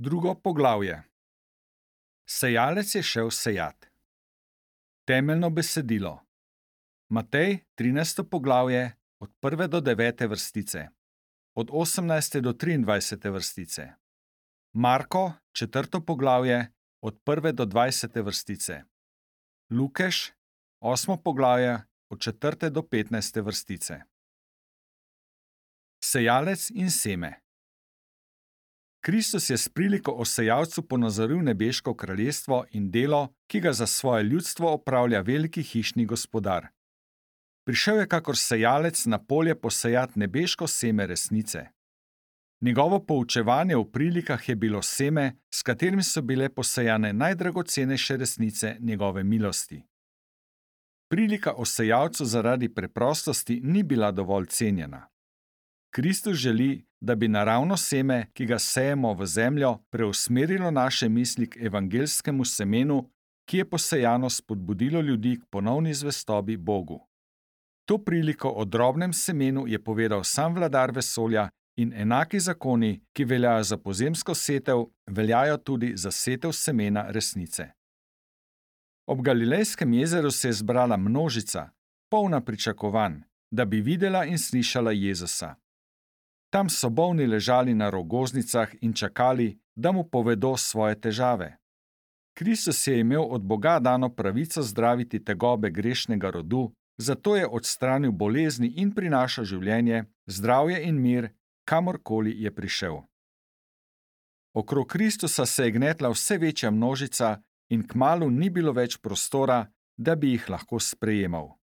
Drugo poglavje. Sejalec je šel sejat. Temeljno besedilo. Matej, 13. poglavje, od 1. do 9. vrstice, od 18. do 23. vrstice. Marko, 4. poglavje, od 1. do 20. vrstice. Lukeš, 8. poglavje, od 4. do 15. vrstice. Sejalec in seme. Kristus je s priliko o sejalcu ponazoril nebeško kraljestvo in delo, ki ga za svoje ljudstvo opravlja veliki hišni gospodar. Prišel je kakor sejalec na polje posejat nebeško seme resnice. Njegovo poučevanje v prilikah je bilo seme, s katerim so bile posejane najdragocenejše resnice njegove milosti. Prilika o sejalcu zaradi preprostosti ni bila dovolj cenjena. Kristus želi, da bi naravno seme, ki ga sejemo v zemljo, preusmerilo naše misli k evangeljskemu semenu, ki je posejano spodbudilo ljudi k ponovni zvestobi Bogu. To priliko o drobnem semenu je povedal sam vladar vesolja in enaki zakoni, ki veljajo za pozemsko setev, veljajo tudi za setev semena resnice. Ob Galilejskem jezeru se je zbrala množica, polna pričakovanj, da bi videla in slišala Jezusa. Tam so bolni ležali na rogoznicah in čakali, da mu povedo svoje težave. Kristus je imel od Boga dano pravico zdraviti tegobe grešnega rodu, zato je odstranil bolezni in prinašal življenje, zdravje in mir, kamorkoli je prišel. Okrog Kristusa se je gnetla vse večja množica in kmalu ni bilo več prostora, da bi jih lahko sprejemal.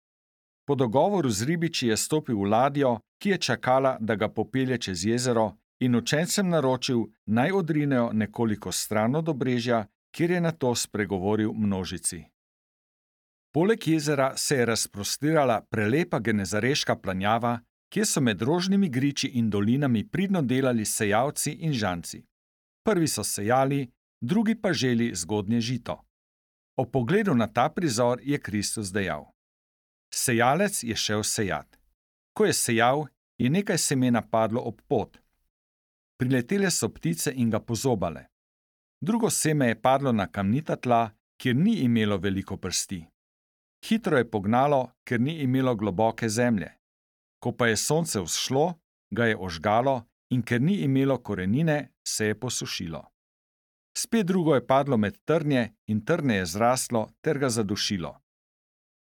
Po dogovoru z ribiči je stopil v ladjo, ki je čakala, da ga popelje čez jezero, in učencem naročil, naj odrinejo nekoliko stran od obrežja, kjer je nato spregovoril množici. Poleg jezera se je razprostirala prelepa genezareška planjava, kjer so med rožnimi griči in dolinami pridno delali sejalci in žanci. Prvi so sejali, drugi pa želi zgodnje žito. Ob pogledu na ta prizor je Kristus dejal: Sejalec je šel sejat. Ko je sejal, je nekaj semena padlo ob pot. Priletele so ptice in ga pozobale. Drugo seme je padlo na kamnita tla, kjer ni imelo veliko prsti. Hitro je pognalo, ker ni imelo globoke zemlje. Ko pa je sonce vzšlo, ga je ožgalo in ker ni imelo korenine, se je posušilo. Spet drugo je padlo med trnje in trnje je zraslo ter ga zadušilo.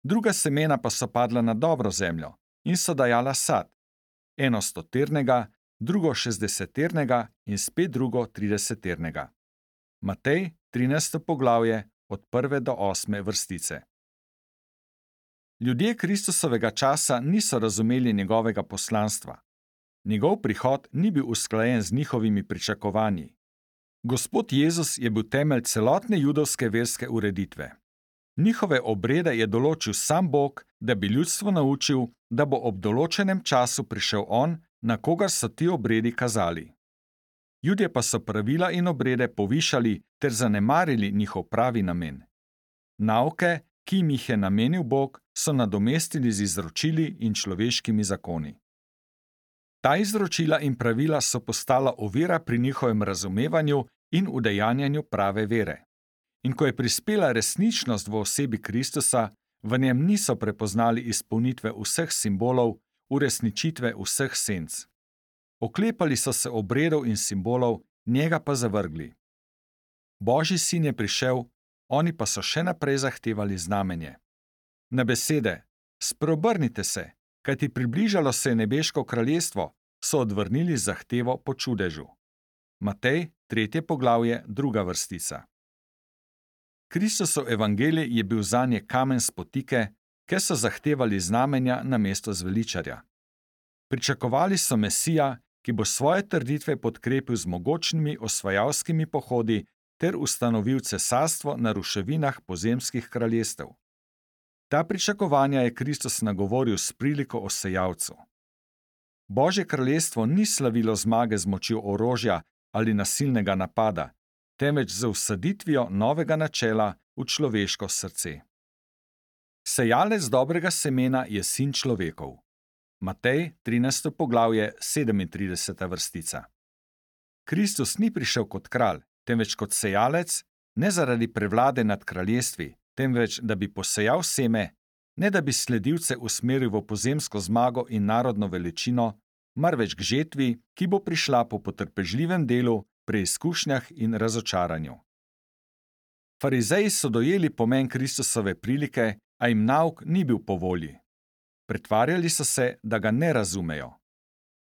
Druga semena pa so padla na dobro zemljo in so dajala sad, eno 100-ternega, drugo 60-ternega in spet drugo 30-ternega. Matej, 13. poglavje, od 1. do 8. vrstice. Ljudje Kristusovega časa niso razumeli njegovega poslanstva. Njegov prihod ni bil usklajen z njihovimi pričakovanji. Gospod Jezus je bil temelj celotne judovske verske ureditve. Njihove obrede je določil sam Bog, da bi ljudstvo naučil, da bo ob določenem času prišel on, na kogar so ti obredi kazali. Judje pa so pravila in obrede povišali ter zanemarili njihov pravi namen. Nauke, ki jim jih je namenil Bog, so nadomestili z izročili in človeškimi zakoni. Ta izročila in pravila so postala ovira pri njihovem razumevanju in udejanjanju prave vere. In ko je prispela resničnost v osebi Kristusa, v njem niso prepoznali izpolnitve vseh simbolov, uresničitve vseh senc. Oklepali so se obredov in simbolov, njega pa zavrgli. Božji sin je prišel, oni pa so še naprej zahtevali znamenje. Na besede: Spreobrnite se, kajti približalo se je nebeško kraljestvo, so odvrnili zahtevo po čudežu. Matej, 3. poglavje, 2. vrstica. Kristusov evangelij je bil zanje kamen spotike, ker so zahtevali znamenja namesto zveličarja. Pričakovali so Mesija, ki bo svoje trditve podkrepil z mogočnimi osvajalskimi pohodi ter ustanovil cesarstvo na ruševinah pozemskih kraljestev. Ta pričakovanja je Kristus nagovoril s priliko o sejalcu. Božje kraljestvo ni slavilo zmage z močjo orožja ali nasilnega napada, temveč z vsaditvijo novega načela v človeško srce. Sejalec dobrega semena je sin človekov. Matej, 13. poglavje, 37. vrstica. Kristus ni prišel kot kralj, temveč kot sejalec, ne zaradi prevlade nad kraljestvi, temveč da bi posejal seme, ne da bi sledilce usmeril v pozemsko zmago in narodno veličino, marveč k žetvi, ki bo prišla po potrpežljivem delu, preizkušnjah in razočaranju. Farizeji so dojeli pomen Kristusove prilike, a jim nauk ni bil po volji. Pretvarjali so se, da ga ne razumejo.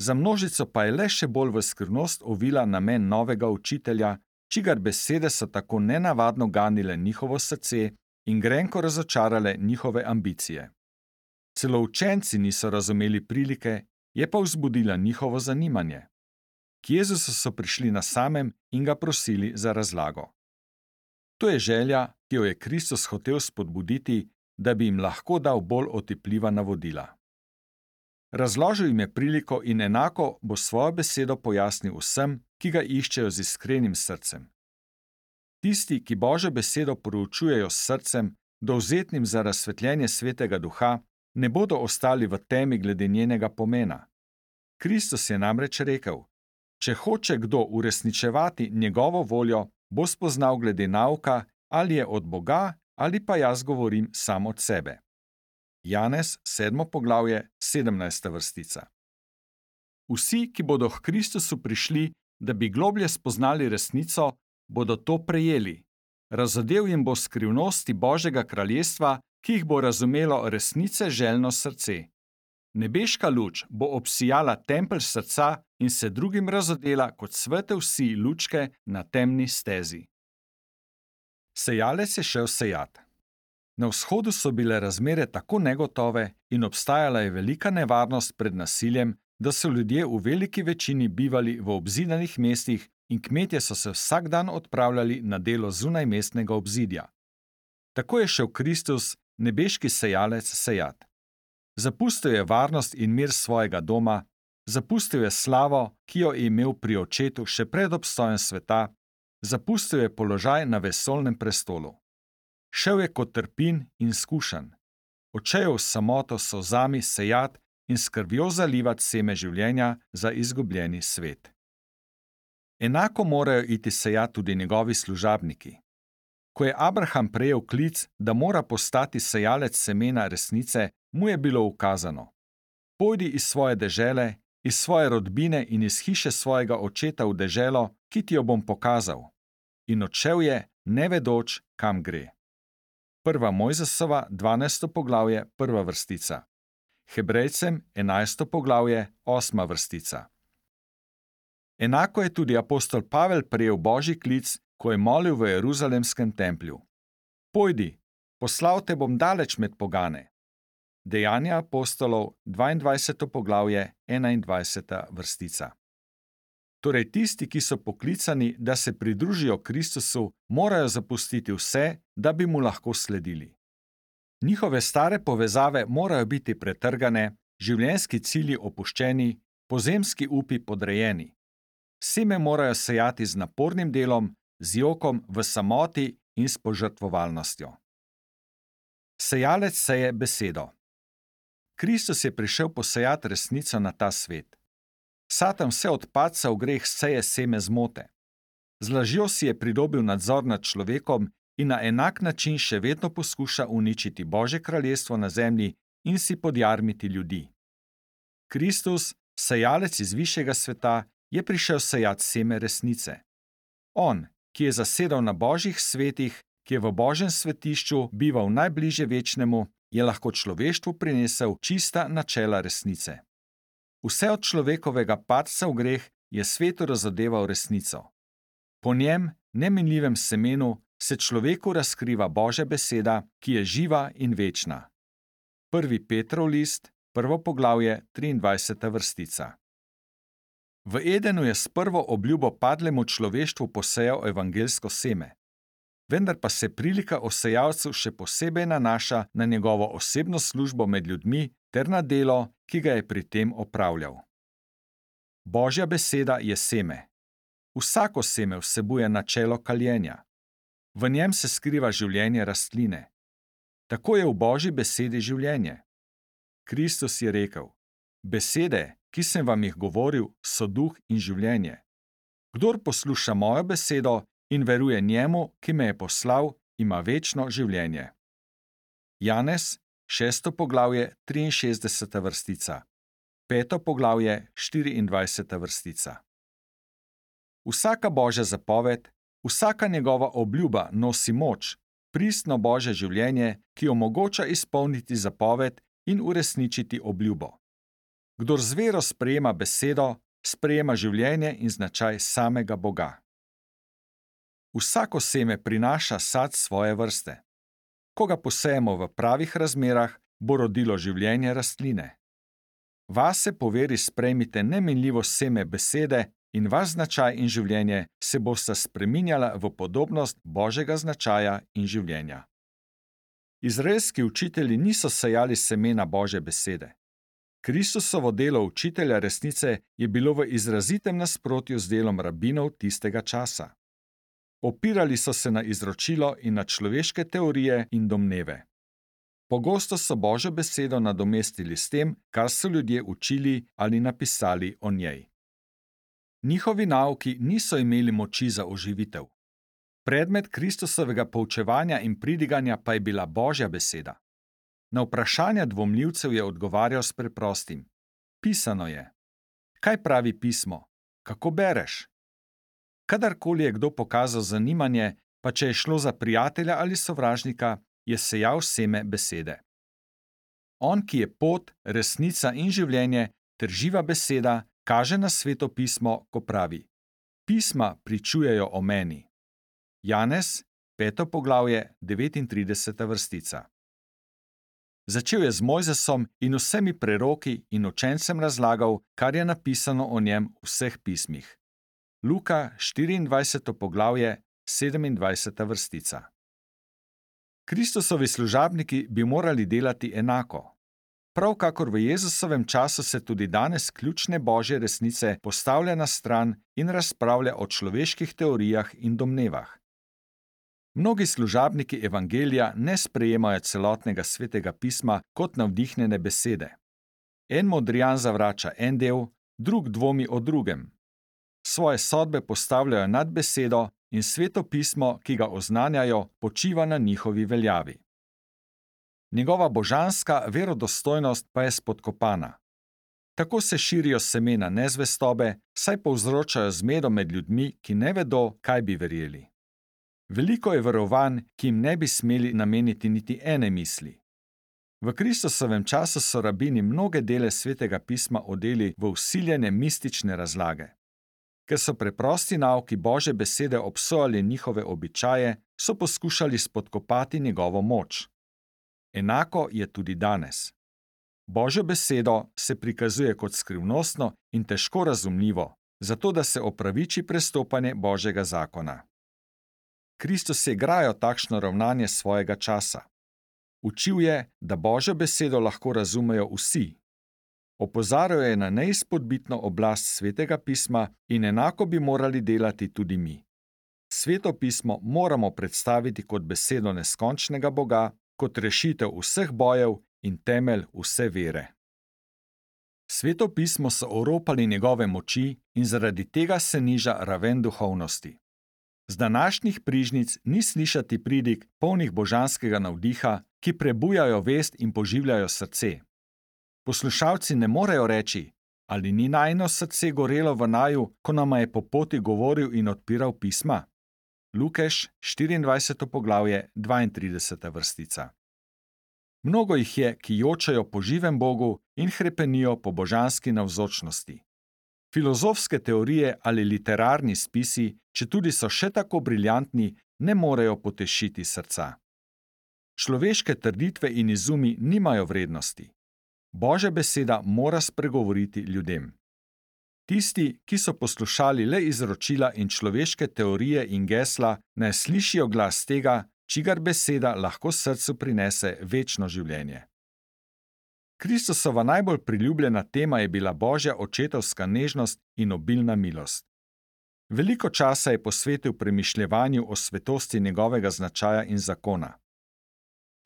Za množico pa je le še bolj v skrivnost ovila namen novega učitelja, čigar besede so tako nenavadno ganile njihovo srce in grenko razočarale njihove ambicije. Celo učenci niso razumeli prilike, je pa vzbudila njihovo zanimanje. K Jezusu so prišli na samem in ga prosili za razlago. To je želja, ki jo je Kristus hotel spodbuditi, da bi jim lahko dal bolj otipljiva navodila. Razložil jim je priliko in enako bo svojo besedo pojasnil vsem, ki ga iščejo z iskrenim srcem. Tisti, ki Božjo besedo proučujejo s srcem, dovzetnim za razsvetljenje Svetega Duha, ne bodo ostali v temi glede njenega pomena. Kristus je namreč rekel: če hoče kdo uresničevati njegovo voljo, bo spoznal glede nauka, ali je od Boga, ali pa jaz govorim sam od sebe. Janez, 7. poglavje, 17. vrstica. Vsi, ki bodo k Kristusu prišli, da bi globlje spoznali resnico, bodo to prejeli. Razodel jim bo skrivnosti Božjega kraljestva, ki jih bo razumelo resnice željno srce. Nebeška luč bo obsijala tempelj srca in se drugim razodela kot svete vsi lučke na temni stezi. Sejalec je šel sejat. Na vzhodu so bile razmere tako negotove in obstajala je velika nevarnost pred nasiljem, da so ljudje v veliki večini bivali v obzidanih mestih in kmetje so se vsak dan odpravljali na delo zunaj mestnega obzidja. Tako je šel Kristus, nebeški sejalec, sejat. Zapustil je varnost in mir svojega doma, zapustil je slavo, ki jo je imel pri očetu še pred obstojem sveta, zapustil je položaj na vesoljnem prestolu. Šel je kot trpin in skušan. Odšel v samoto s solzami sejat in s krvjo zalivat seme življenja za izgubljeni svet. Enako morajo iti sejat tudi njegovi služabniki. Ko je Abraham prejel klic, da mora postati sejalec semena resnice, mu je bilo ukazano: pojdi iz svoje dežele, iz svoje rodbine in iz hiše svojega očeta v deželo, ki ti jo bom pokazal. In odšel je, ne vedoč, kam gre. 1. Mojzesova, 12. poglavje, 1. vrstica. Hebrejcem, 11. poglavje, 8. vrstica. Enako je tudi apostol Pavel prejel Božji klic, ko je molil v Jeruzalemskem templju: pojdi, poslal te bom daleč med pogane. Dejanja apostolov, 22. poglavje, 21. vrstica. Torej tisti, ki so poklicani, da se pridružijo Kristusu, morajo zapustiti vse, da bi mu lahko sledili. Njihove stare povezave morajo biti pretrgane, življenjski cilji opuščeni, pozemski upi podrejeni. Seme morajo sejati z napornim delom, z jokom, v samoti in s požrtvovalnostjo. Sejalec seje besedo. Kristus je prišel posejati resnico na ta svet. Satan vse od padca v greh seje seme zmote. Z lažjo si je pridobil nadzor nad človekom in na enak način še vedno poskuša uničiti Božje kraljestvo na zemlji in si podjarmiti ljudi. Kristus, sejalec iz višjega sveta, je prišel sejati seme resnice. On, ki je zasedal na Božjih svetih, ki je v Božjem svetišču bival najbližje večnemu, je lahko človeštvu prinesel čista načela resnice. Vse od človekovega padca v greh je svetu razodeval resnico. Po njem, neminljivem semenu, se človeku razkriva Božja beseda, ki je živa in večna. 1. Petrov list, 1. poglavje, 23. vrstica. V Edenu je s prvo obljubo padlemu človeštvu posejal evangelsko seme. Vendar pa se prilika o sejalcu še posebej nanaša na njegovo osebno službo med ljudmi ter na delo, ki ga je pri tem opravljal. Božja beseda je seme. Vsako seme vsebuje načelo kaljenja. V njem se skriva življenje rastline. Tako je v Božji besedi življenje. Kristus je rekel: besede, ki sem vam jih govoril, so duh in življenje. Kdor posluša mojo besedo in veruje njemu, ki me je poslal, ima večno življenje. Janez, 6. poglavje, 63. vrstica, 5. poglavje, 24. vrstica. Vsaka Božja zapoved, vsaka njegova obljuba nosi moč, pristno Božje življenje, ki omogoča izpolniti zapoved in uresničiti obljubo. Kdor z vero sprejema besedo, sprejema življenje in značaj samega Boga. Vsako seme prinaša sad svoje vrste. Ko ga posejemo v pravih razmerah, bo rodilo življenje rastline. Vase po veri sprejmite neminljivo seme besede in vaš značaj in življenje se bosta spreminjala v podobnost Božjega značaja in življenja. Izraelski učitelji niso sejali semena Božje besede. Kristusovo delo učitelja resnice je bilo v izrazitem nasprotju z delom rabinov tistega časa. Opirali so se na izročilo in na človeške teorije in domneve. Pogosto so Božjo besedo nadomestili s tem, kar so ljudje učili ali napisali o njej. Njihovi nauki niso imeli moči za oživitev. Predmet Kristusovega poučevanja in pridiganja pa je bila Božja beseda. Na vprašanja dvomljivcev je odgovarjal s preprostim: Pisano je. Kaj pravi pismo? Kako bereš? Kadarkoli je kdo pokazal zanimanje, pa če je šlo za prijatelja ali sovražnika, je sejal seme besede. On, ki je pot, resnica in življenje ter živa beseda, kaže na Sveto pismo, ko pravi: Pisma pričujejo o meni. Janez, 5. poglavje, 39. vrstica. Začel je z Mojzesom in vsemi preroki in učencem razlagal, kar je napisano o njem v vseh pismih. Luka, 24. poglavje, 27. vrstica. Kristusovi služabniki bi morali delati enako. Prav kakor v Jezusovem času se tudi danes ključne Božje resnice postavlja na stran in razpravlja o človeških teorijah in domnevah. Mnogi služabniki evangelija ne sprejemajo celotnega Svetega pisma kot navdihnjene besede. En modrijan zavrača en del, drug dvomi o drugem. Svoje sodbe postavljajo nad besedo in Sveto pismo, ki ga oznanjajo, počiva na njihovi veljavi. Njegova božanska verodostojnost pa je spodkopana. Tako se širijo semena nezvestobe, saj povzročajo zmedo med ljudmi, ki ne vedo, kaj bi verjeli. Veliko je verovanj, ki jim ne bi smeli nameniti niti ene misli. V Kristusovem času so rabini mnoge dele Svetega pisma odeli v vsiljene mistične razlage. Ker so preprosti nauki Božje besede obsojali njihove običaje, so poskušali spodkopati njegovo moč. Enako je tudi danes. Božjo besedo se prikazuje kot skrivnostno in težko razumljivo, zato da se opraviči prestopanje Božjega zakona. Kristus je grajal takšno ravnanje svojega časa. Učil je, da Božjo besedo lahko razumejo vsi. Opozarjal je na neizpodbitno oblast Svetega pisma in enako bi morali delati tudi mi. Sveto pismo moramo predstaviti kot besedo neskončnega Boga, kot rešitev vseh bojev in temelj vse vere. Sveto pismo so oropali njegove moči in zaradi tega se niža raven duhovnosti. Z današnjih prižnic ni slišati pridig, polnih božanskega navdiha, ki prebujajo vest in poživljajo srce. Poslušalci ne morejo reči: ali ni najino srce gorelo v naju, ko nama je po poti govoril in odpiral pisma? Lukeš, 24. poglavje, 32. vrstica. Mnogo jih je, ki jočejo po živem Bogu in hrepenijo po božanski navzočnosti. Filozofske teorije ali literarni spisi, četudi so še tako briljantni, ne morejo potešiti srca. Človeške trditve in izumi nimajo vrednosti. Božja beseda mora spregovoriti ljudem. Tisti, ki so poslušali le izročila in človeške teorije in gesla, naj slišijo glas tega, čigar beseda lahko srcu prinese večno življenje. Kristusova najbolj priljubljena tema je bila Božja očetovska nežnost in obilna milost. Veliko časa je posvetil premišljevanju o svetosti njegovega značaja in zakona.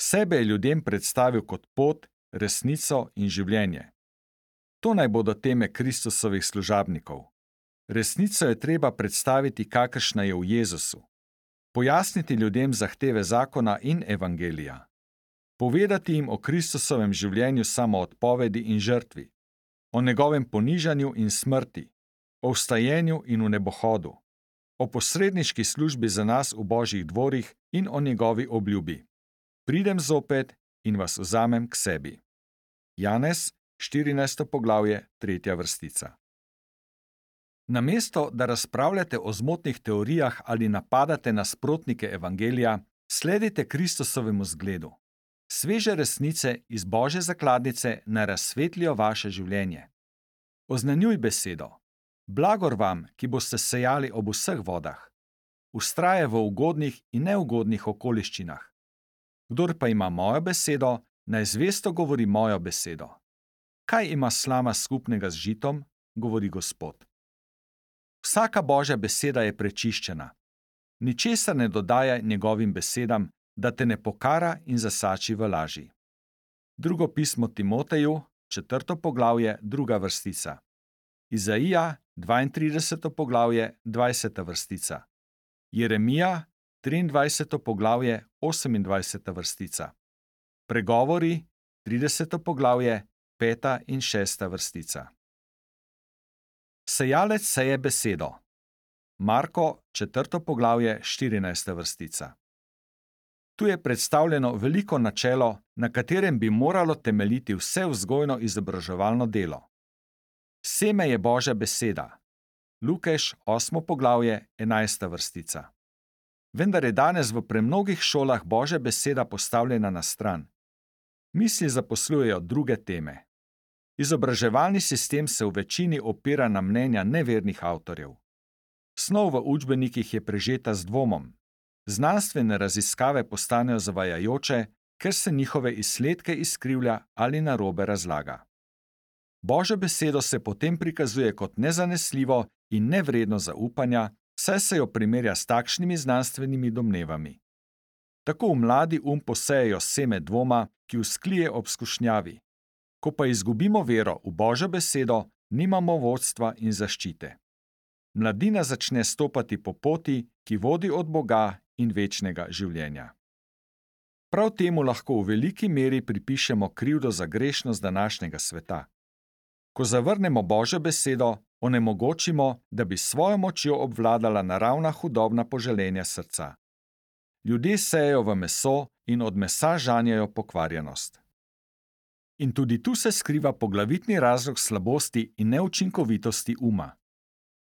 Sebe je ljudem predstavil kot pot, resnico in življenje. To naj bodo teme Kristusovih služabnikov. Resnico je treba predstaviti, kakršna je v Jezusu. Pojasniti ljudem zahteve zakona in evangelija. Povedati jim o Kristusovem življenju samoodpovedi in žrtvi, o njegovem ponižanju in smrti, o vstajenju in v nebohodu, o posredniški službi za nas v Božjih dvorih in o njegovi obljubi. Pridem zopet in vas vzamem k sebi. Janez, 14. poglavje, 3. vrstica. Namesto, da razpravljate o zmotnih teorijah ali napadate nasprotnike evangelija, sledite Kristusovemu zgledu. Sveže resnice iz Božje zakladnice naj razsvetlijo vaše življenje. Oznanjuj besedo. Blagor vam, ki boste sejali ob vseh vodah. Vztraje v ugodnih in neugodnih okoliščinah. Kdor pa ima mojo besedo, naj zvesto govori mojo besedo. Kaj ima slama skupnega z žitom, govori Gospod. Vsaka Božja beseda je prečiščena. Ničesar ne dodajaj njegovim besedam, da te ne pokara in zasači v laži. Drugo pismo Timoteju, 4. poglavje, 2. vrstica. Izaija, 32. poglavje, 20. vrstica. Jeremija, 23. poglavje, 28. vrstica. Pregovori, 30. poglavje, 5. in 6. vrstica. Sejalec seje besedo. Marko, 4. poglavje, 14. vrstica. Tu je predstavljeno veliko načelo, na katerem bi moralo temeljiti vse vzgojno-izobraževalno delo. Seme je Božja beseda. Lukeš, 8. poglavje, 11. vrstica. Vendar je danes v premnogih šolah Božja beseda postavljena na stran. Misli zaposlujejo druge teme. Izobraževalni sistem se v večini opira na mnenja nevernih avtorjev. Snov v učbenikih je prežeta z dvomom. Znanstvene raziskave postanejo zavajajoče, ker se njihove izsledke izkrivlja ali narobe razlaga. Božjo besedo se potem prikazuje kot nezanesljivo in nevredno zaupanja, saj se jo primerja s takšnimi znanstvenimi domnevami. Tako v mladi posejejo seme dvoma, ki vzklije ob skušnjavi. Ko pa izgubimo vero v Božjo besedo, nimamo vodstva in zaščite. Mladina začne stopati po poti, ki vodi od Boga in večnega življenja. Prav temu lahko v veliki meri pripišemo krivdo za grešnost današnjega sveta. Ko zavrnemo Božjo besedo, onemogočimo, da bi svojo močjo obvladala naravna hudobna poželenja srca. Ljudje sejejo v meso in od mesa žanjejo pokvarjenost. In tudi tu se skriva poglavitni razlog slabosti in neučinkovitosti uma.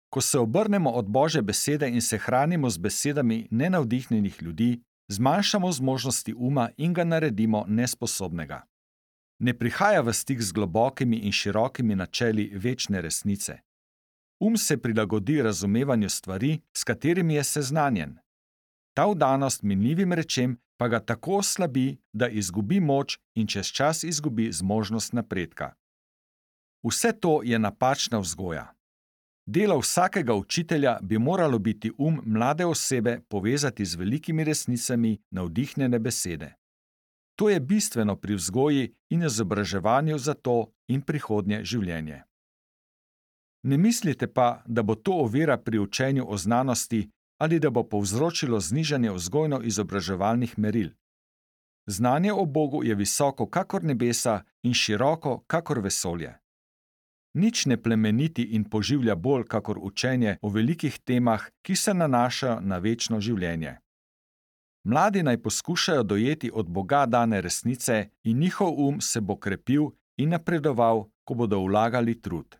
Ko se obrnemo od Božje besede in se hranimo z besedami nenavdihnjenih ljudi, zmanjšamo zmožnosti uma in ga naredimo nesposobnega. Ne prihaja v stik z globokimi in širokimi načeli večne resnice. Se prilagodi razumevanju stvari, s katerimi je seznanjen. Ta vdanost minljivim rečem pa ga tako oslabi, da izgubi moč in čez čas izgubi zmožnost napredka. Vse to je napačna vzgoja. Delo vsakega učitelja bi moralo biti mlade osebe povezati z velikimi resnicami navdihnjene besede. To je bistveno pri vzgoji in izobraževanju za to in prihodnje življenje. Ne mislite pa, da bo to ovira pri učenju o znanosti ali da bo povzročilo znižanje vzgojno-izobraževalnih meril. Znanje o Bogu je visoko kakor nebesa in široko kakor vesolje. Nič ne plemeniti in poživlja bolj kakor učenje o velikih temah, ki se nanašajo na večno življenje. Mladi naj poskušajo dojeti od Boga dane resnice in njihov se bo krepil in napredoval, ko bodo vlagali trud.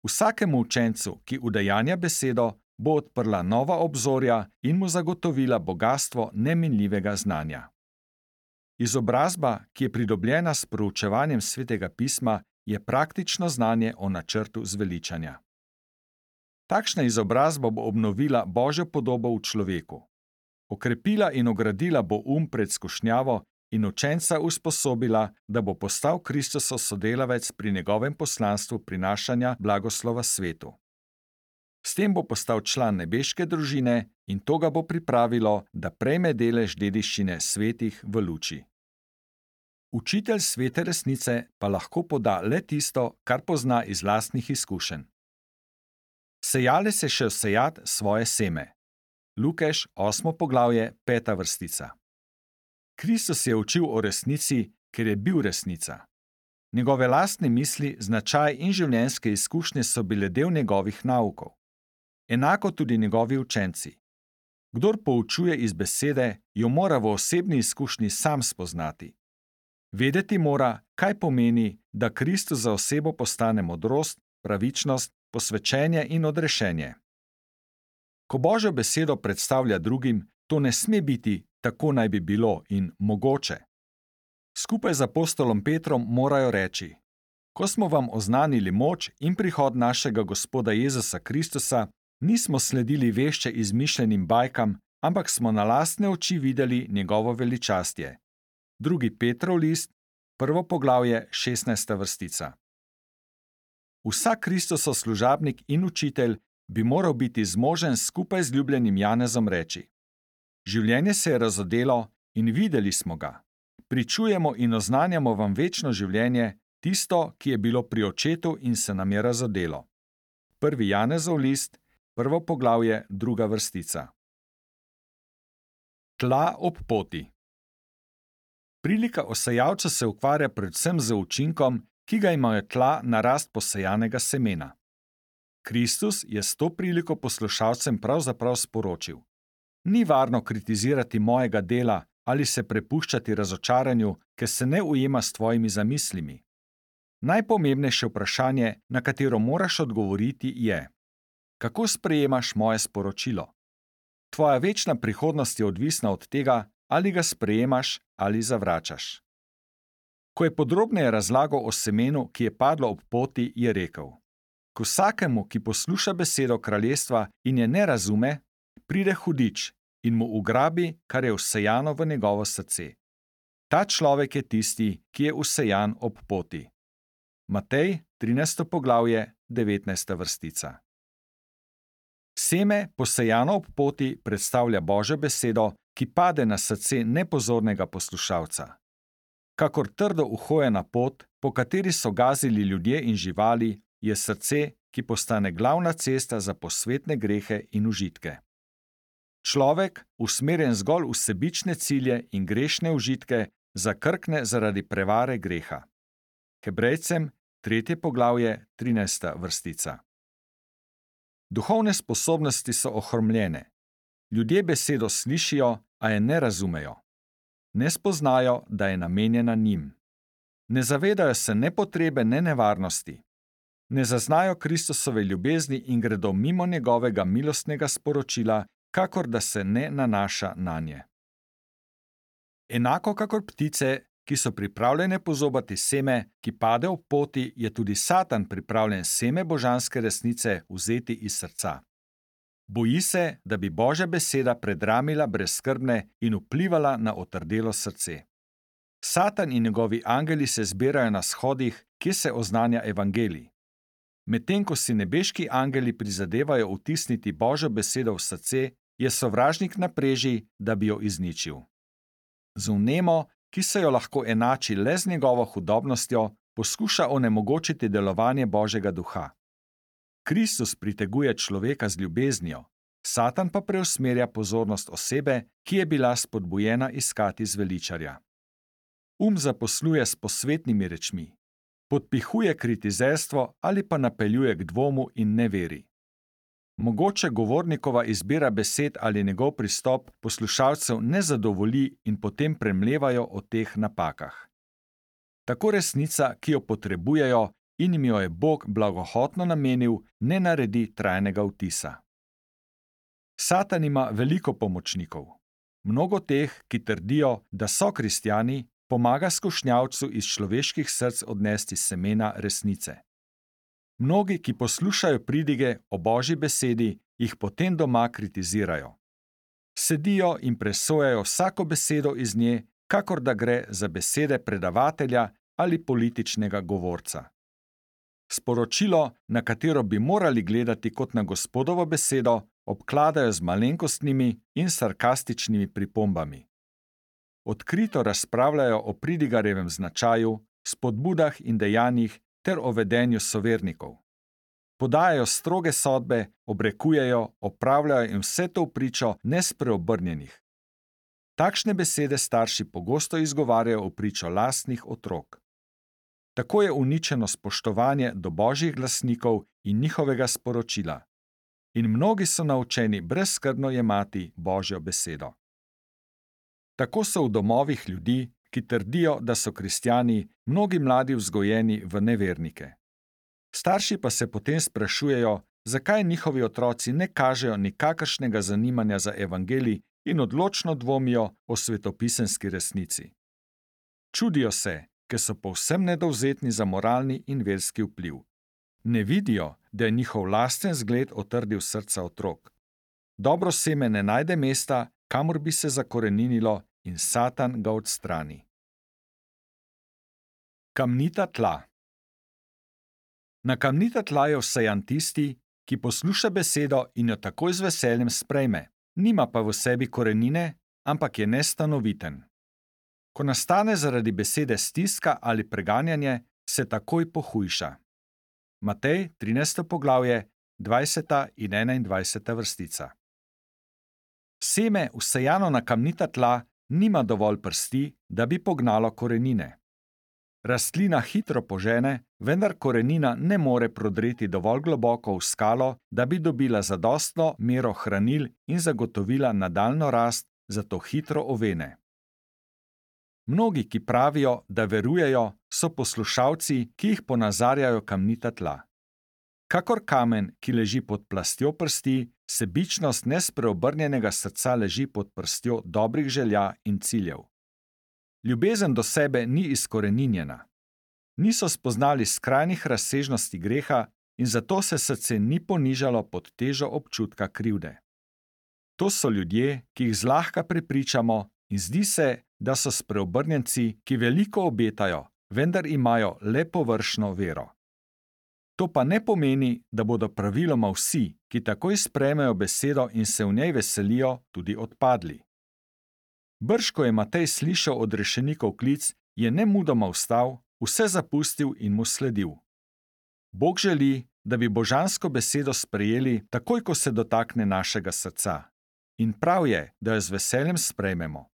Vsakemu učencu, ki udejanja besedo, bo odprla nova obzorja in mu zagotovila bogastvo neminljivega znanja. Izobrazba, ki je pridobljena s proučevanjem Svetega pisma, je praktično znanje o načrtu zveličanja. Takšna izobrazba bo obnovila Božjo podobo v človeku. Okrepila in ogradila bo pred skušnjavo in učenca usposobila, da bo postal Kristusov sodelavec pri njegovem poslanstvu prinašanja blagoslova svetu. S tem bo postal član nebeške družine in to ga bo pripravilo, da prejme delež dediščine svetih v luči. Učitelj svete resnice pa lahko poda le tisto, kar pozna iz lastnih izkušenj. Sejalec je šel sejat svoje seme. Lukeš 8. poglavje 5. vrstica. Kristus je učil o resnici, ker je bil resnica. Njegove lastne misli, značaj in življenjske izkušnje so bile del njegovih naukov. Enako tudi njegovi učenci. Kdor poučuje iz besede, jo mora v osebni izkušnji sam spoznati. Vedeti mora, kaj pomeni, da Kristus za osebo postane modrost, pravičnost, posvečenje in odrešenje. Ko Božjo besedo predstavlja drugim, to ne sme biti tako naj bi bilo in mogoče. Skupaj z apostolom Petrom morajo reči: Ko smo vam oznanili moč in prihod našega Gospoda Jezusa Kristusa, nismo sledili vešče izmišljenim bajkam, ampak smo na lastne oči videli njegovo veličastje. 2. Petrov list, 1. poglavje, 16. vrstica. Vsak Kristusov služabnik in učitelj bi moral biti zmožen skupaj z ljubljenim Janezom reči: Življenje se je razodelo in videli smo ga. Pričujemo in oznanjamo vam večno življenje, tisto, ki je bilo pri očetu in se nam je razodelo. 1. Janezov list, 1. poglavje, 2. vrstica. Tla ob poti. Prilika o sejalcu se ukvarja predvsem z učinkom, ki ga imajo tla na rast posejanega semena. Kristus je s to priliko poslušalcem pravzaprav sporočil: Ni varno kritizirati mojega dela ali se prepuščati razočaranju, ker se ne ujema s tvojimi zamislimi. Najpomembnejše vprašanje, na katero moraš odgovoriti, je: Kako sprejemaš moje sporočilo? Tvoja večna prihodnost je odvisna od tega, ali ga sprejemaš ali zavračaš. Ko je podrobneje razlagal o semenu, ki je padlo ob poti, je rekel: K vsakemu, ki posluša besedo kraljestva in je ne razume, pride hudič in mu ugrabi, kar je vsejano v njegovo srce. Ta človek je tisti, ki je vsejan ob poti. Matej, 13. poglavje, 19. vrstica. Seme, posejano ob poti, predstavlja Božjo besedo, ki pade na srce nepozornega poslušalca. Kakor trdo uhojena pot, po kateri so gazili ljudje in živali, je srce, ki postane glavna cesta za posvetne grehe in užitke. Človek, usmerjen zgolj v sebične cilje in grešne užitke, zakrkne zaradi prevare greha. Hebrejcem, 3. poglavje, 13. vrstica. Duhovne sposobnosti so ohromljene. Ljudje besedo slišijo, a je ne razumejo. Ne spoznajo, da je namenjena njim. Ne zavedajo se ne potrebe, ne nevarnosti. Ne zaznajo Kristusove ljubezni in gredo mimo njegovega milostnega sporočila, kakor da se ne nanaša nanje. Enako kakor ptice, ki so pripravljene pozobati seme, ki pade ob poti, je tudi Satan pripravljen seme božanske resnice vzeti iz srca. Boji se, da bi Božja beseda predramila brezskrbne in vplivala na otrdelo srce. Satan in njegovi angeli se zbirajo na shodih, kjer se oznanja evangelij. Medtem ko si nebeški angeli prizadevajo vtisniti Božjo besedo v srce, je sovražnik na preži, da bi jo izničil. Z vnemo, ki se jo lahko enači le z njegovo hudobnostjo, poskuša onemogočiti delovanje Božjega duha. Kristus priteguje človeka z ljubeznijo, Satan pa preusmerja pozornost osebe, ki je bila spodbujena iskati zveličarja. Zaposluje s posvetnimi rečmi, podpihuje kritizerstvo ali pa napeljuje k dvomu in neveri. Mogoče govornikova izbira besed ali njegov pristop poslušalcev ne zadovolji in potem premlevajo o teh napakah. Tako resnica, ki jo potrebujejo in jim jo je Bog blagohotno namenil, ne naredi trajnega vtisa. Satan ima veliko pomočnikov. Mnogo teh, ki trdijo, da so kristjani, pomaga skušnjavcu iz človeških src odnesti semena resnice. Mnogi, ki poslušajo pridige o Božji besedi, jih potem doma kritizirajo. Sedijo in presojajo vsako besedo iz nje, kakor da gre za besede predavatelja ali političnega govorca. Sporočilo, na katero bi morali gledati kot na Gospodovo besedo, obkladajo z malenkostnimi in sarkastičnimi pripombami. Odkrito razpravljajo o pridigarjevem značaju, spodbudah in dejanjih ter o vedenju sovernikov. podajajo stroge sodbe, obrekujejo, opravljajo in vse to v pričo nespreobrnjenih. Takšne besede starši pogosto izgovarjajo v pričo lastnih otrok. Tako je uničeno spoštovanje do božjih glasnikov in njihovega sporočila. In mnogi so naučeni brezskrbno jemati Božjo besedo. Tako so v domovih ljudi, ki trdijo, da so kristjani, mnogi mladi vzgojeni v nevernike. Starši pa se potem sprašujejo, zakaj njihovi otroci ne kažejo nikakršnega zanimanja za evangelij in odločno dvomijo o svetopisemski resnici. Čudijo se, ker so povsem nedovzetni za moralni in verski vpliv. Ne vidijo, da je njihov lasten zgled otrdil srca otrok. Dobro seme ne najde mesta, kamor bi se zakoreninilo, in Satan ga odstrani. Kamnita tla. Na kamnita tla je vsejan tisti, ki posluša besedo in jo takoj z veseljem sprejme, nima pa v sebi korenine, ampak je nestanoviten. Ko nastane zaradi besede stiska ali preganjanje, se takoj pohujša. Matej, 13. poglavje, 20. in 21. vrstica. Seme, vsejano na kamnita tla, nima dovolj prsti, da bi pognalo korenine. Rastlina hitro požene, vendar korenina ne more prodreti dovolj globoko v skalo, da bi dobila zadostno mero hranil in zagotovila nadaljnjo rast, zato hitro ovene. Mnogi, ki pravijo, da verujejo, so poslušalci, ki jih ponazarjajo kamnita tla. Kakor kamen, ki leži pod plastjo prsti, sebičnost nespreobrnjenega srca leži pod prstjo dobrih želja in ciljev. Ljubezen do sebe ni izkoreninjena. Niso spoznali skrajnih razsežnosti greha in zato se srce ni ponižalo pod težo občutka krivde. To so ljudje, ki jih zlahka prepričamo in zdi se, da so spreobrnjenci, ki veliko obetajo, vendar imajo le površno vero. To pa ne pomeni, da bodo praviloma vsi, ki takoj sprejmejo besedo in se v njej veselijo, tudi odpadli. Brž ko je Matej slišal od rešenikov klic, je nemudoma vstal, vse zapustil in mu sledil. Bog želi, da bi božansko besedo sprejeli, takoj ko se dotakne našega srca. In prav je, da jo z veseljem sprejmemo.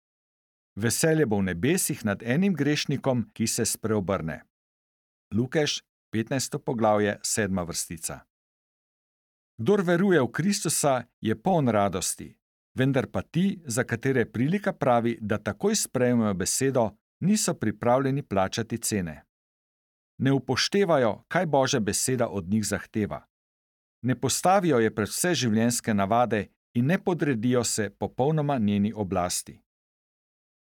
Veselje bo v nebesih nad enim grešnikom, ki se spreobrne. Lukeš, 15. poglavje, 7. vrstica. Kdor veruje v Kristusa, je poln radosti, vendar pa ti, za katere prilika pravi, da takoj sprejmejo besedo, niso pripravljeni plačati cene. Ne upoštevajo, kaj Božja beseda od njih zahteva. Ne postavijo je pred vse življenjske navade in ne podredijo se popolnoma njeni oblasti.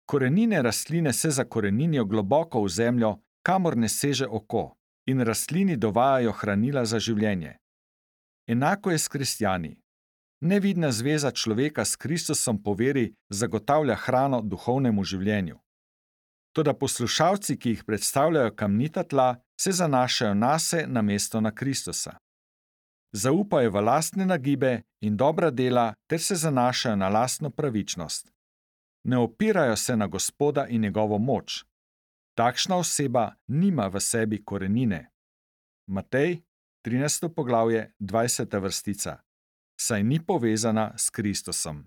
Korenine rastline se zakoreninijo globoko v zemljo, kamor ne seže oko, in rastlini dovajajo hranila za življenje. Enako je s kristjani. Nevidna zveza človeka s Kristusom po veri zagotavlja hrano duhovnemu življenju. Toda poslušalci, ki jih predstavljajo kamnita tla, se zanašajo nase namesto na Kristusa. Zaupajo v lastne nagibe in dobra dela ter se zanašajo na lastno pravičnost. Ne opirajo se na Gospoda in njegovo moč. Takšna oseba nima v sebi korenine. Matej, 13. poglavje, 20. vrstica. Saj ni povezana s Kristusom.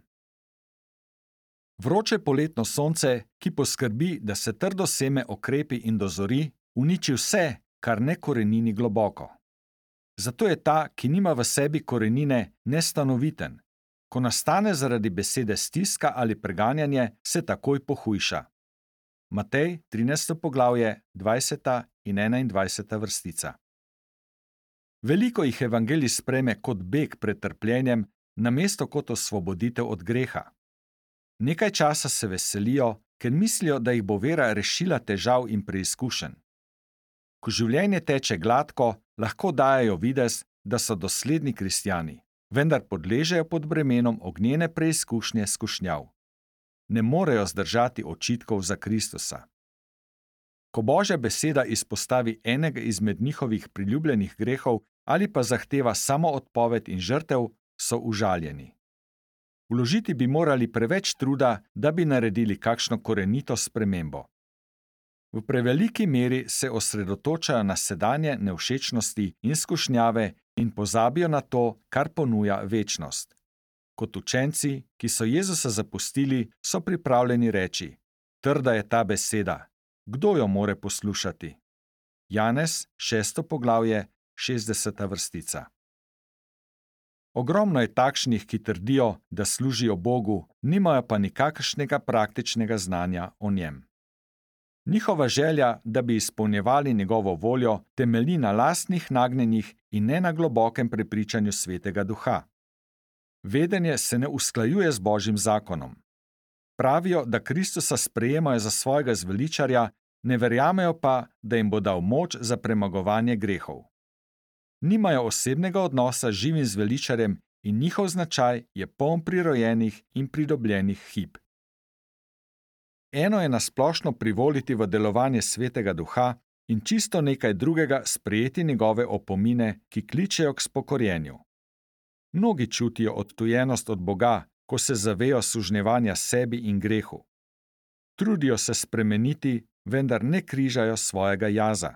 Vroče poletno sonce, ki poskrbi, da se trdo seme okrepi in dozori, uniči vse, kar ne korenini globoko. Zato je ta, ki nima v sebi korenine, nestanoviten. Ko nastane zaradi besede stiska ali preganjanje, se takoj pohujša. Matej, 13. poglavje, 20. in 21. vrstica. Veliko jih evangelij sprejme kot beg pred trpljenjem, namesto kot osvoboditev od greha. Nekaj časa se veselijo, ker mislijo, da jih bo vera rešila težav in preizkušenj. Ko življenje teče gladko, lahko dajejo videz, da so dosledni kristjani, vendar podležejo pod bremenom ognjene preizkušnje skušnjav. Ne morejo zdržati očitkov za Kristusa. Ko Božja beseda izpostavi enega izmed njihovih priljubljenih grehov ali pa zahteva samo odpoved in žrtev, so užaljeni. Vložiti bi morali preveč truda, da bi naredili kakšno korenito spremembo. V preveliki meri se osredotočajo na sedanje nevšečnosti in skušnjave in pozabijo na to, kar ponuja večnost. Kot učenci, ki so Jezusa zapustili, so pripravljeni reči: Trda je ta beseda, kdo jo more poslušati? Janez, 6. poglavje, 60. vrstica. Ogromno je takšnih, ki trdijo, da služijo Bogu, nimajo pa nikakršnega praktičnega znanja o njem. Njihova želja, da bi izpolnjevali njegovo voljo, temelji na lastnih nagnjenjih in ne na globokem prepričanju Svetega Duha. Vedenje se ne usklajuje z Božjim zakonom. Pravijo, da Kristusa sprejemajo za svojega zveličarja, ne verjamejo pa, da jim bo dal moč za premagovanje grehov. Nimajo osebnega odnosa z živim zveličarjem in njihov značaj je poln prirojenih in pridobljenih hib. Eno je nasplošno privoliti v delovanje Svetega Duha in čisto nekaj drugega sprejeti njegove opomine, ki kličejo k spokorjenju. Mnogi čutijo odtujenost od Boga, ko se zavejo sužnjevanja sebi in grehu. Trudijo se spremeniti, vendar ne križajo svojega jaza.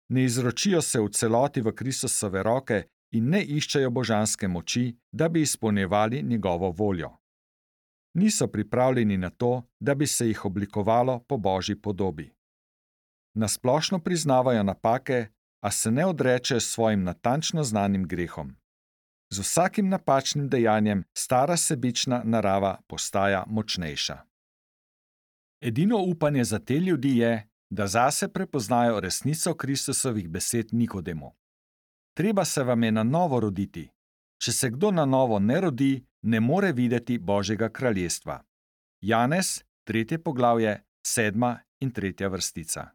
Ne izročijo se v celoti v Kristusove roke in ne iščejo božanske moči, da bi izpolnjevali njegovo voljo. Niso pripravljeni na to, da bi se jih oblikovalo po Božji podobi. Nasplošno priznavajo napake, a se ne odrečejo svojim natančno znanim grehom. Z vsakim napačnim dejanjem stara sebična narava postaja močnejša. Edino upanje za te ljudi je, da zase prepoznajo resnico Kristusovih besed Nikodemu. Treba se vam je na novo roditi. Če se kdo na novo ne rodi, ne more videti Božjega kraljestva. Janez, 3. poglavje, 7. in 3. vrstica.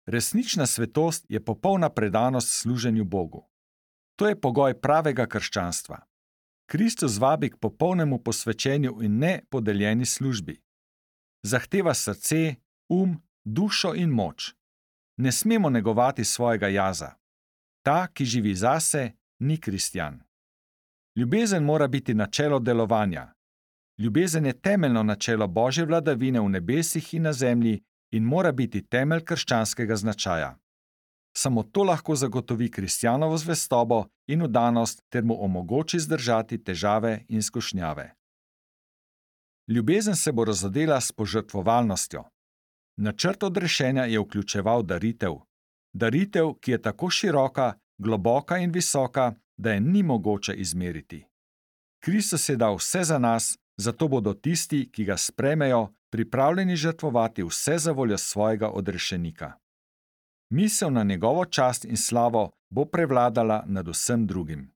Resnična svetost je popolna predanost služenju Bogu. To je pogoj pravega krščanstva. Kristus vabi k popolnemu posvečenju in ne podeljeni službi. Zahteva srce, dušo in moč. Ne smemo negovati svojega jaza. Ta, ki živi zase, ni kristjan. Ljubezen mora biti načelo delovanja. Ljubezen je temeljno načelo Božje vladavine v nebesih in na zemlji in mora biti temelj krščanskega značaja. Samo to lahko zagotovi kristjanovo zvestobo in vdanost ter mu omogoči zdržati težave in skušnjave. Ljubezen se bo razodela s požrtvovalnostjo. Načrt odrešenja je vključeval daritev. Daritev, ki je tako široka, globoka in visoka, da je ni mogoče izmeriti. Kristus je dal vse za nas, zato bodo tisti, ki ga sprejmejo, pripravljeni žrtvovati vse za voljo svojega odrešenika. Misel na njegovo čast in slavo bo prevladala nad vsem drugim.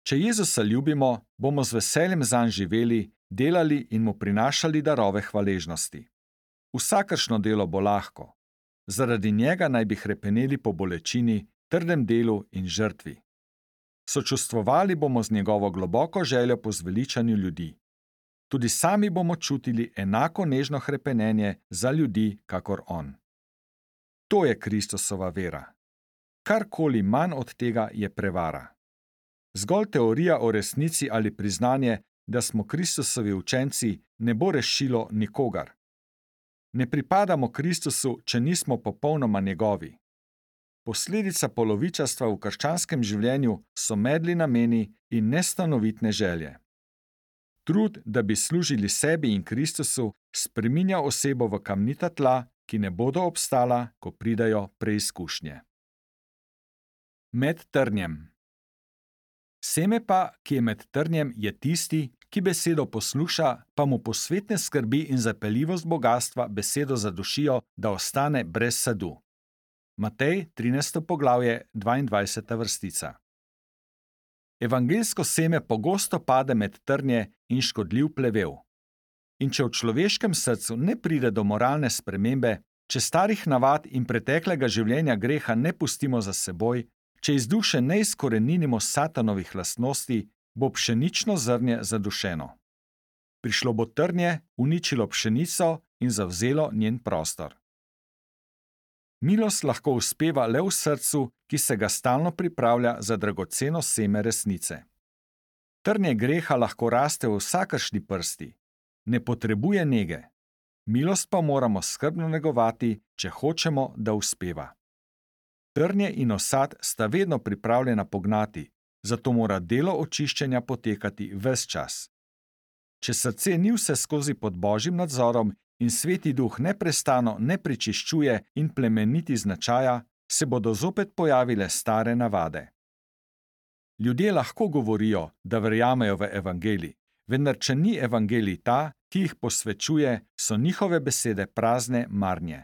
Če Jezusa ljubimo, bomo z veseljem zanj živeli, delali in mu prinašali darove hvaležnosti. Vsakršno delo bo lahko. Zaradi njega naj bi hrepeneli po bolečini, trdem delu in žrtvi. Sočustvovali bomo z njegovo globoko željo po zveličanju ljudi. Tudi sami bomo čutili enako nežno hrepenenje za ljudi, kakor on. To je Kristusova vera. Karkoli manj od tega je prevara. Zgolj teorija o resnici ali priznanje, da smo Kristusovi učenci, ne bo rešilo nikogar. Ne pripadamo Kristusu, če nismo popolnoma njegovi. Posledica polovičarstva v krščanskem življenju so medli nameni in nestanovitne želje. Trud, da bi služili sebi in Kristusu, spreminja osebo v kamnita tla, ki ne bodo obstala, ko pridajo preizkušnje. Med trnjem. Seme pa, ki je med trnjem, je tisti, ki besedo posluša, pa mu posvetne skrbi in zapeljivost bogastva besedo zadušijo, da ostane brez sadu. Matej, 13. poglavje, 22. vrstica. Evangeljsko seme pogosto pade med trnje in škodljiv plevel. In če v človeškem srcu ne pride do moralne spremembe, če starih navad in preteklega življenja greha ne pustimo za seboj, če iz duše ne izkoreninimo satanovih lastnosti, bo pšenično zrnje zadušeno. Prišlo bo trnje, uničilo pšenico in zavzelo njen prostor. Milost lahko uspeva le v srcu, ki se ga stalno pripravlja za dragoceno seme resnice. Trnje greha lahko raste v vsakršni prsti. Ne potrebuje nege. Milost pa moramo skrbno negovati, če hočemo, da uspeva. Trnje in osad sta vedno pripravljena pognati, zato mora delo očiščenja potekati ves čas. Če srce ni vseskozi pod Božjim nadzorom in Sveti Duh neprestano ne prečiščuje in plemeniti značaja, se bodo zopet pojavile stare navade. Ljudje lahko govorijo, da verjamejo v evangelij, vendar če ni evangelij ta, ki jih posvečuje, so njihove besede prazne marnje.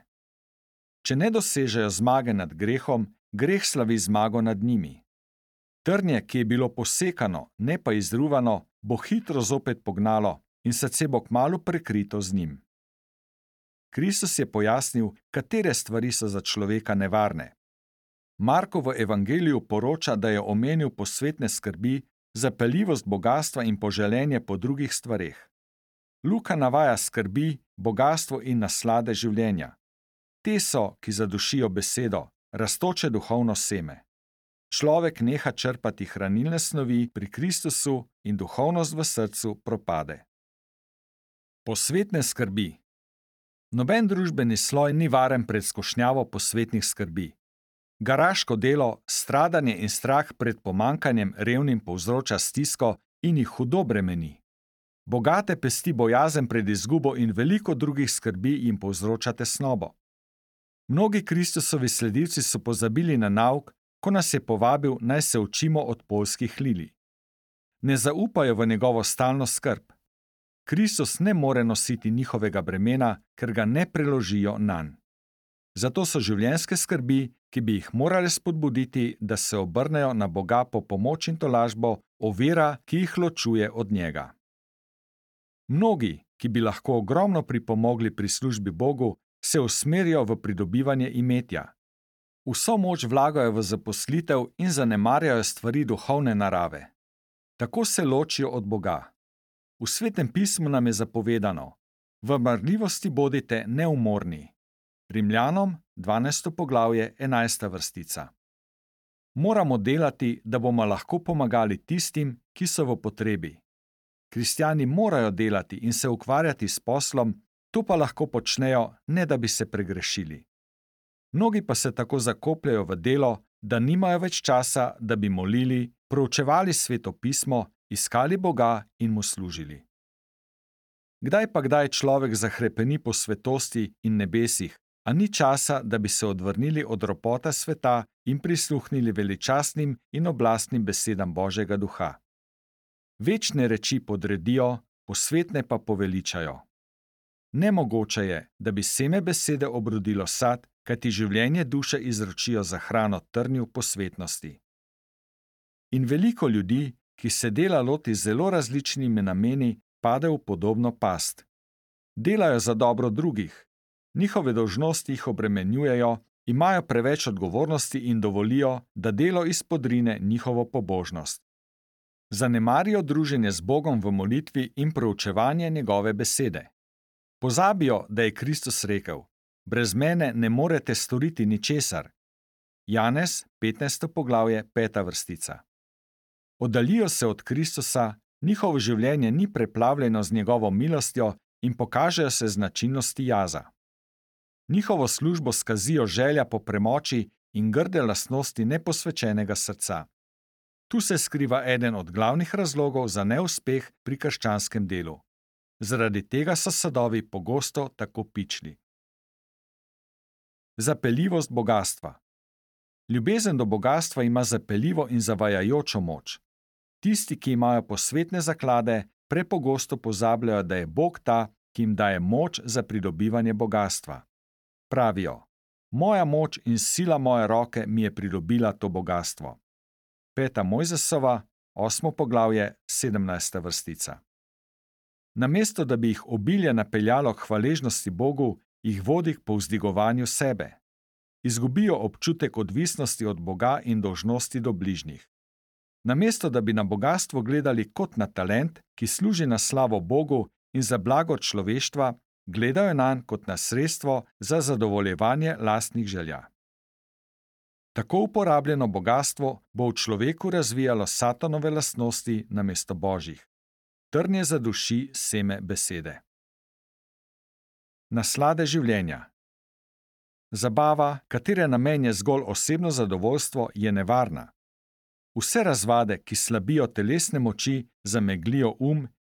Če ne dosežejo zmage nad grehom, greh slavi zmago nad njimi. Trnje, ki je bilo posekano, ne pa izruvano, bo hitro zopet pognalo in srce bo kmalu prekrito z njim. Kristus je pojasnil, katere stvari so za človeka nevarne. Marko v evangeliju poroča, da je omenil posvetne skrbi, zapeljivost bogastva in poželenje po drugih stvareh. Luka navaja skrbi, bogastvo in naslade življenja. Te so, ki zadušijo besedo, rastoče duhovno seme. Človek neha črpati hranilne snovi pri Kristusu in duhovnost v srcu propade. Posvetne skrbi. Noben družbeni sloj ni varen pred skušnjavo posvetnih skrbi. Garaško delo, stradanje in strah pred pomanjkanjem revnim povzroča stisko in jih hudo bremeni. Bogate pesti bojazen pred izgubo in veliko drugih skrbi jim povzroča tesnobo. Mnogi Kristusovi sledilci so pozabili na nauk, ko nas je povabil, naj se učimo od poljskih lilij. Ne zaupajo v njegovo stalno skrb. Kristus ne more nositi njihovega bremena, ker ga ne preložijo nanj. Zato so življenjske skrbi, ki bi jih morale spodbuditi, da se obrnejo na Boga po pomoč in tolažbo, ovira, ki jih ločuje od njega. Mnogi, ki bi lahko ogromno pripomogli pri službi Bogu, se usmerijo v pridobivanje imetja. Vso moč vlagajo v zaposlitev in zanemarjajo stvari duhovne narave. Tako se ločijo od Boga. V Svetem pismu nam je zapovedano: v marljivosti bodite neumorni. Rimljanom, 12. poglavje, 11. vrstica. Moramo delati, da bomo lahko pomagali tistim, ki so v potrebi. Kristjani morajo delati in se ukvarjati s poslom, to pa lahko počnejo, ne da bi se pregrešili. Mnogi pa se tako zakopljajo v delo, da nimajo več časa, da bi molili, proučevali Sveto pismo, iskali Boga in mu služili. Kdaj človek zahrepeni po svetosti in nebesih, a ni časa, da bi se odvrnili od ropota sveta in prisluhnili veličastnim in oblastnim besedam Božjega duha. Večne reči podredijo, posvetne pa poveličajo. Nemogoče je, da bi seme besede obrodilo sad, kajti življenje duše izročijo za hrano trnju posvetnosti. In veliko ljudi, ki se dela loti z zelo različnimi nameni, pade v podobno past. Delajo za dobro drugih, njihove dolžnosti jih obremenjujejo, imajo preveč odgovornosti in dovolijo, da delo izpodrine njihovo pobožnost. Zanemarijo druženje z Bogom v molitvi in proučevanje njegove besede. Pozabijo, da je Kristus rekel: brez mene ne morete storiti ničesar. Janez, 15. poglavje, 5. vrstica. Oddaljijo se od Kristusa, njihovo življenje ni preplavljeno z njegovo milostjo in pokažejo se značilnosti jaza. Njihovo službo skazijo želja po premoči in grde lastnosti neposvečenega srca. Tu se skriva eden od glavnih razlogov za neuspeh pri krščanskem delu. Zaradi tega so sadovi pogosto tako pičli. Zapeljivost bogastva. Ljubezen do bogastva ima zapeljivo in zavajajočo moč. Tisti, ki imajo posvetne zaklade, prepogosto pozabljajo, da je Bog ta, ki jim daje moč za pridobivanje bogastva. Pravijo: moja moč in sila moje roke mi je pridobila to bogastvo. 5. Mojzesova, 8. poglavje, 17. vrstica. Namesto da bi jih obilje napeljalo k hvaležnosti Bogu, jih vodi k povzdigovanju sebe. Izgubijo občutek odvisnosti od Boga in dolžnosti do bližnjih. Namesto da bi na bogastvo gledali kot na talent, ki služi na slavo Bogu in za blago človeštva, gledajo nanj kot na sredstvo za zadovoljevanje lastnih želja. Tako uporabljeno bogastvo bo v človeku razvijalo satanove lastnosti namesto Božjih. Trnje zaduši seme besede. Naslade življenja. Zabava, katere namen je zgolj osebno zadovoljstvo, je nevarna. Vse razvade, ki slabijo telesne moči, zameglijo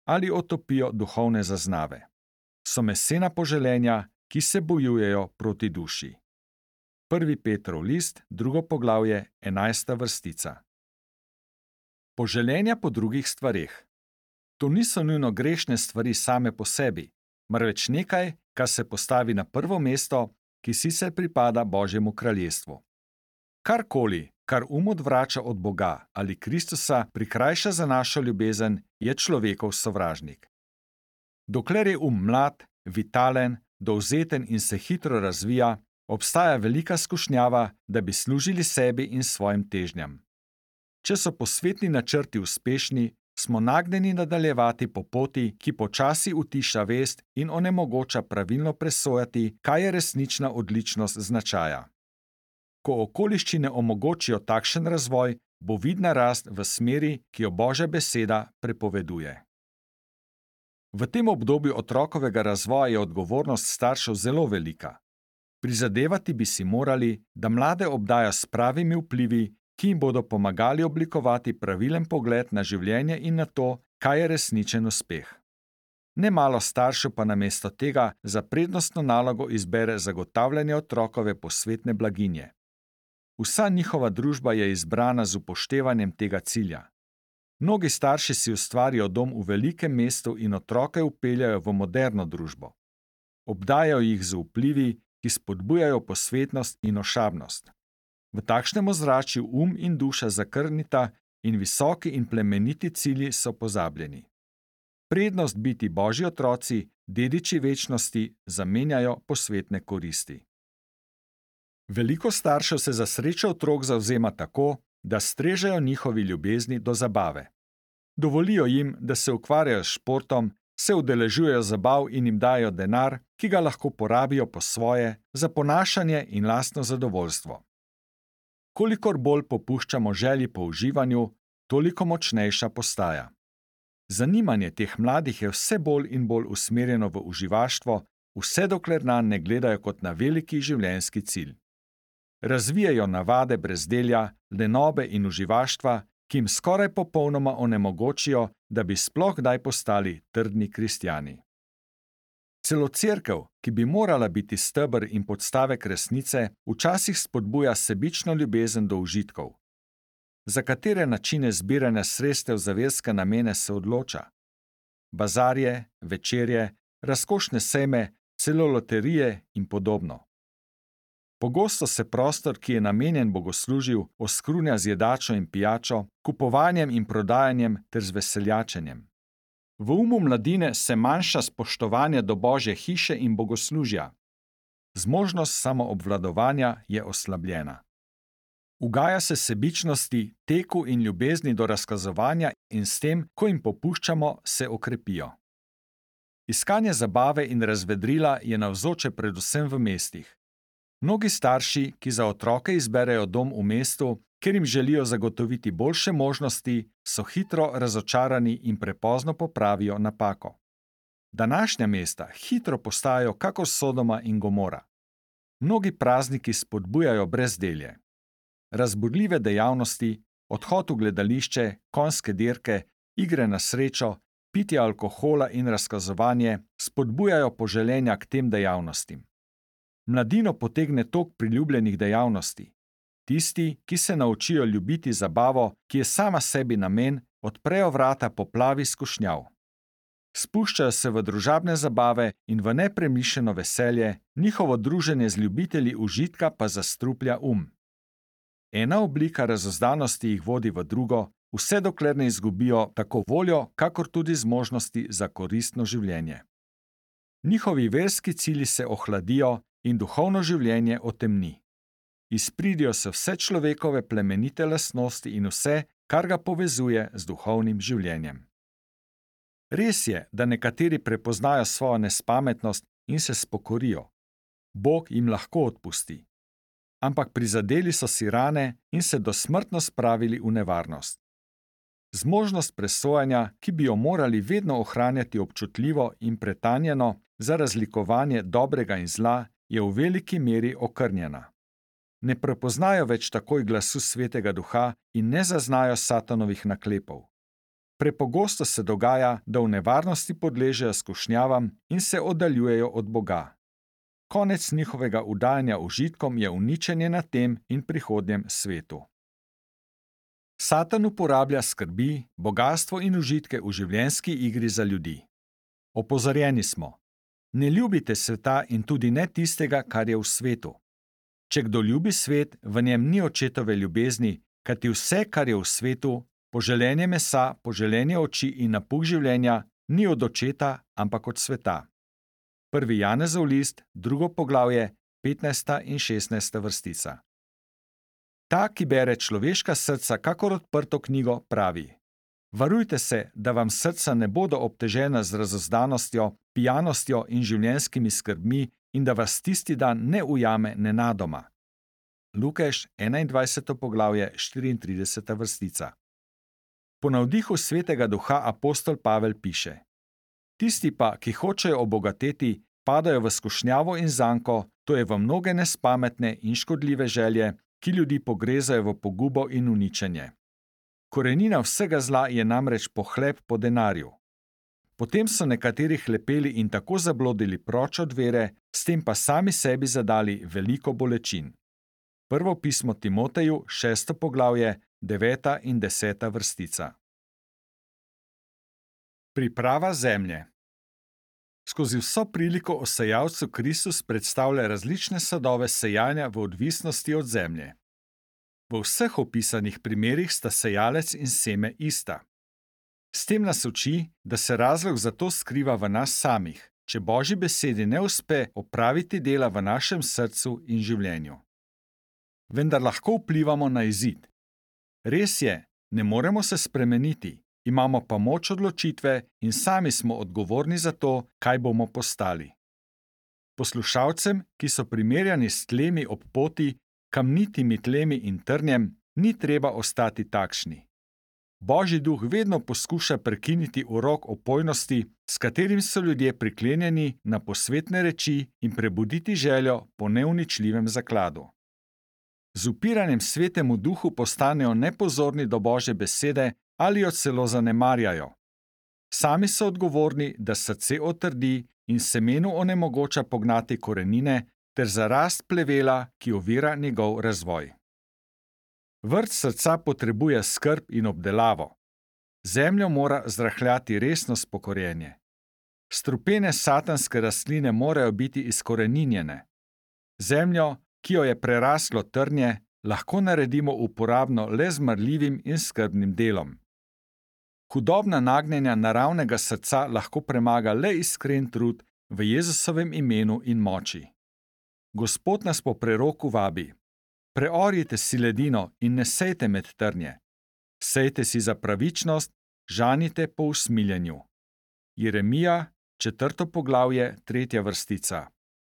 ali otopijo duhovne zaznave. So mesena poželenja, ki se bojujejo proti duši. 1. Petrov list, 2. poglavje, 11. vrstica. Poželenja po drugih stvareh. To niso nujno grešne stvari same po sebi, marveč nekaj, kar se postavi na prvo mesto, ki sicer pripada Božjemu kraljestvu. Karkoli, kar odvrača od Boga ali Kristusa, prikrajša za našo ljubezen, je človekov sovražnik. Dokler je mlad, vitalen, dovzeten in se hitro razvija, obstaja velika skušnjava, da bi služili sebi in svojim težnjam. Če so posvetni načrti uspešni, smo nagnjeni nadaljevati po poti, ki počasi utiša vest in onemogoča pravilno presojati, kaj je resnična odličnost značaja. Ko okoliščine omogočijo takšen razvoj, bo vidna rast v smeri, ki jo Božja beseda prepoveduje. V tem obdobju otrokovega razvoja je odgovornost staršev zelo velika. Prizadevati bi si morali, da mlade obdajo s pravimi vplivi, ki jim bodo pomagali oblikovati pravilen pogled na življenje in na to, kaj je resničen uspeh. Nemalo staršev pa namesto tega za prednostno nalogo izbere zagotavljanje otrokove posvetne blaginje. Vsa njihova družba je izbrana z upoštevanjem tega cilja. Mnogi starši si ustvarijo dom v velikem mestu in otroke vpeljajo v moderno družbo. Obdajajo jih z vplivi, ki spodbujajo posvetnost in ošabnost. V takšnem ozračju in duša zakrnita in visoki in plemeniti cilji so pozabljeni. Prednost biti Božji otroci, dediči večnosti, zamenjajo posvetne koristi. Veliko staršev se za srečo otrok zavzema tako, da strežejo njihovi ljubezni do zabave. Dovolijo jim, da se ukvarjajo s športom, se udeležujejo zabav in jim dajo denar, ki ga lahko porabijo po svoje, za ponašanje in lastno zadovoljstvo. Kolikor bolj popuščamo želji po uživanju, toliko močnejša postaja. Zanimanje teh mladih je vse bolj in bolj usmerjeno v uživaštvo, vse dokler nanj ne gledajo kot na veliki življenjski cilj. Razvijajo navade brezdelja, lenobe in uživaštva, ki jim skoraj popolnoma onemogočijo, da bi sploh kdaj postali trdni kristjani. Celo cerkev, ki bi morala biti steber in podstavek resnice, včasih spodbuja sebično ljubezen do užitkov. Za katere načine zbiranja sredstev za verske namene se odloča? Bazarje, večerje, razkošne sejme, celo loterije in podobno. Pogosto se prostor, ki je namenjen bogoslužju, oskrunja z jedačo in pijačo, kupovanjem in prodajanjem ter z veseljačenjem. V mladine se manjša spoštovanje do Božje hiše in bogoslužja. Zmožnost samoobvladovanja je oslabljena. Ugaja se sebičnosti, teku in ljubezni do razkazovanja in s tem, ko jim popuščamo, se okrepijo. Iskanje zabave in razvedrila je navzoče predvsem v mestih. Mnogi starši, ki za otroke izberejo dom v mestu, ker jim želijo zagotoviti boljše možnosti, so hitro razočarani in prepozno popravijo napako. Današnja mesta hitro postajajo kakor Sodoma in Gomora. Mnogi prazniki spodbujajo brezdelje. Razburljive dejavnosti, odhod v gledališče, konjske dirke, igre na srečo, pitje alkohola in razkazovanje spodbujajo poželenja k tem dejavnostim. Mladino potegne tok priljubljenih dejavnosti. Tisti, ki se naučijo ljubiti zabavo, ki je sama sebi namen, odprejo vrata poplavi skušnjav. Spuščajo se v družabne zabave in v nepremišljeno veselje, njihovo druženje z ljubitelji užitka pa zastruplja Ena oblika razuzdanosti jih vodi v drugo, vse dokler ne izgubijo tako voljo, kakor tudi zmožnosti za koristno življenje. Njihovi verski cilji se ohladijo in duhovno življenje otemni. Izpridijo se vse človekove plemenite lastnosti in vse, kar ga povezuje z duhovnim življenjem. Res je, da nekateri prepoznajo svojo nespametnost in se spokorijo. Bog jim lahko odpusti. Ampak prizadeli so si rane in se dosmrtno spravili v nevarnost. Zmožnost presojanja, ki bi jo morali vedno ohranjati občutljivo in pretanjeno, za razlikovanje dobrega in zla, je v veliki meri okrnjena. Ne prepoznajo več takoj glasu Svetega Duha in ne zaznajo Satanovih naklepov. Prepogosto se dogaja, da v nevarnosti podležejo skušnjavam in se oddaljujejo od Boga. Konec njihovega vdajanja užitkom je uničenje na tem in prihodnjem svetu. Satan uporablja skrbi, bogastvo in užitke v življenjski igri za ljudi. Opozorjeni smo: ne ljubite sveta in tudi ne tistega, kar je v svetu. Če kdo ljubi svet, v njem ni očetove ljubezni, kajti vse, kar je v svetu, poželenje mesa, poželenje oči in napuh življenja, ni od očeta, ampak od sveta. 1. Janezov list, 2. poglavje, 15. in 16. vrstica. Ta, ki bere človeška srca kakor odprto knjigo, pravi: varujte se, da vam srca ne bodo obtežena z razozdanostjo, pijanostjo in življenjskimi skrbmi in da vas tisti dan ne ujame nenadoma. Lukeš, 21. poglavje, 34. vrstica. Po navdihu Svetega Duha apostol Pavel piše: tisti pa, ki hočejo obogateti, padajo v skušnjavo in zanko, to je v mnoge nespametne in škodljive želje, ki ljudi pogrezajo v pogubo in uničenje. Korenina vsega zla je namreč pohlep po denarju. Potem so nekateri hlepeli in tako zablodili proč od vere, s tem pa sami sebi zadali veliko bolečin. Prvo pismo Timoteju, 6. poglavje, 9. in 10. vrstica. Priprava zemlje. Skozi vso priliko o sejalcu Kristus predstavlja različne sadove sejanja v odvisnosti od zemlje. V vseh opisanih primerih sta sejalec in seme ista. S tem nas uči, da se razlog za to skriva v nas samih, če Božji besedi ne uspe opraviti dela v našem srcu in življenju. Vendar lahko vplivamo na izid. Res je, ne moremo se spremeniti, imamo pa moč odločitve in sami smo odgovorni za to, kaj bomo postali. Poslušalcem, ki so primerjani s tlemi ob poti, kamnitimi tlemi in trnjem, ni treba ostati takšni. Božji duh vedno poskuša prekiniti urok opojnosti, s katerim so ljudje priklenjeni na posvetne reči, in prebuditi željo po neuničljivem zakladu. Z upiranjem Svetemu Duhu postanejo nepozorni do Božje besede ali jo celo zanemarjajo. Sami so odgovorni, da srce otrdi in semenu onemogoča pognati korenine ter za rast plevela, ki ovira njegov razvoj. Vrt srca potrebuje skrb in obdelavo. Zemljo mora zrahljati resno spokorjenje. Strupene satanske rastline morajo biti izkoreninjene. Zemljo, ki jo je preraslo trnje, lahko naredimo uporabno le z marljivim in skrbnim delom. Hudobna nagnjenja naravnega srca lahko premaga le iskren trud v Jezusovem imenu in moči. Gospod nas po preroku vabi: preorjite si ledino in ne sejte med trnje. Sejte si za pravičnost, žanite po usmiljenju. Jeremija, 4. poglavje, 3. vrstica.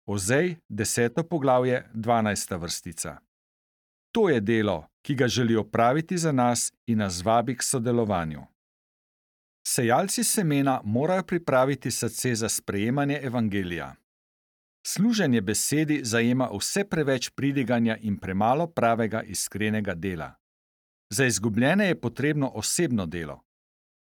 Ozej, 10. poglavje, 12. vrstica. To je delo, ki ga želi opraviti za nas in nas vabi k sodelovanju. Sejalci semena morajo pripraviti srce za sprejemanje evangelija. Služenje besedi zajema vse preveč pridiganja in premalo pravega iskrenega dela. Za izgubljene je potrebno osebno delo.